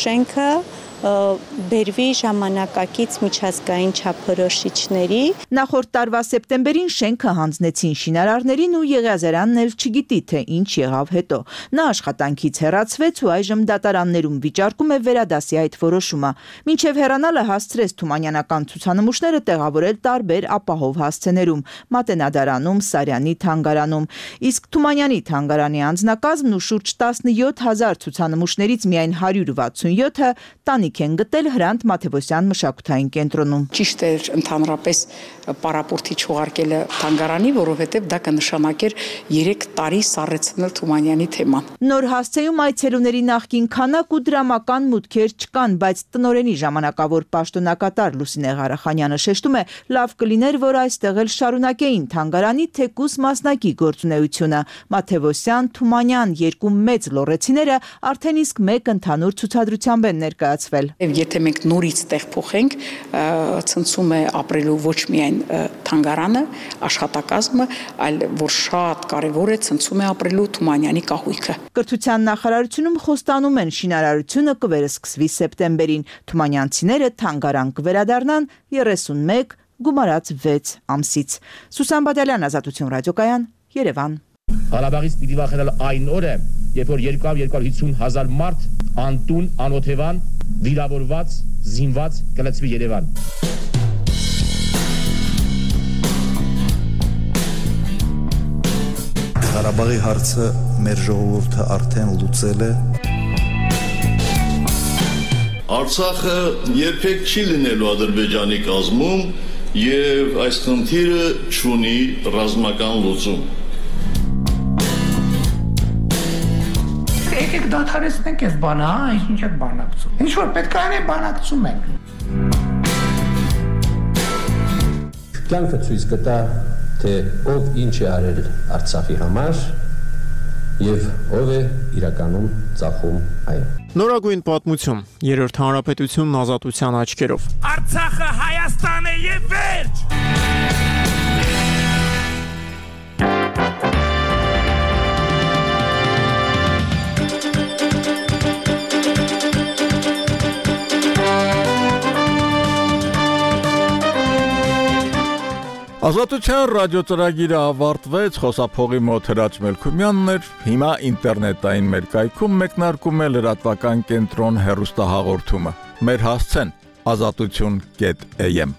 շենքը բերվի ժամանակակից միջազգային չափորոշիչների։ Նախորդ տարվա սեպտեմբերին շենքը հանձնեցին շինարարներին ու Եղիազարյանն էլ չգիտի, թե ինչ եղավ հետո։ Նա աշխատանքից հեռացվեց ու այժմ դատարաններում վիճարկում է վերադասի այդ որոշումը։ Մինչև հեռանալը հասցրեց թումանյանական ցուցանմուշները տեղավորել տարբեր ապահով հասցեներում՝ Մատենադարանում, Սարյանի թանգարանում։ Իսկ Թումանյանի թանգարանի անձնակազմն ու շուրջ 17,000 ցուցանմուշներից միայն 167-ը տանիք հարսանիք են գտել Հրանտ Մաթևոսյան մշակութային կենտրոնում։ Ճիշտ էր ընդհանրապես պարապորտի չուղարկելը թանգարանի, որովհետև դա կնշանակեր 3 տարի սառեցնել Թումանյանի թեման։ Նոր հասցեում այցելուների նախկին քանակ ու դրամական մուտքեր չկան, բայց տնօրենի ժամանակավոր պաշտոնակատար Լուսինե Ղարախանյանը շեշտում է, լավ կլիներ, որ այստեղ էլ շարունակեին թանգարանի թեկուս մասնակի գործունեությունը։ Մաթևոսյան, Թումանյան երկու մեծ լոռեցիները արդեն իսկ մեկ ընդհանուր ցուցադրությամբ են ներկայացվել։ Եթե մենք նորից տեղ փոխենք, ցնցում է ապրելու ոչ միայն թանգարանը, աշխատակազմը, այլ որ շատ կարևոր է, ցնցում է ապրելու Թումանյանի կահույքը։ Կրթության նախարարությունում խոստանում են շինարարությունը կվերսկսվի սեպտեմբերին։ Թումանյանցիները թանգարան կվերադառնան 31 գումարած 6 ամսից։ Սուսան Բադալյան, Ազատություն ռադիոկայան, Երևան։ Ղարաբաղից պիտի վախենալ այն օրը, երբ որ 250,000 մարդ անտուն, անօթևան, վիրավորված, զինված կլցվի Երևան։ Ղարաբաղի հարցը մեր ժողովուրդը արդեն լուծել է։ Արցախը երբեք չի լինելու Ադրբեջանի կազմում եւ այս խնդիրը չունի ռազմական լուծում։ Եկեք դադարեցնենք այս բանը, ինչ եք բանակցում։ Ինչ որ պետք է անենք, բանակցում ենք։ Կյանքը ցույց կտա, թե ով ինչ է արել Արցախի համար եւ ով է իրականում ծախում այն։ Նորագույն պատմություն, Երրորդ հանրապետությունն ազատության աչքերով։ Արցախը Հայաստան է եւ վերջ։ Ազատության ռադիոծրագիրը ավարտվեց, խոսափողի մոտ Հրաչ Մելքումյանն էր, հիմա ինտերնետային մեր կայքում մեկնարկում է լրատվական կենտրոն հեռուստահաղորդումը։ Մեր հասցեն azatutun.am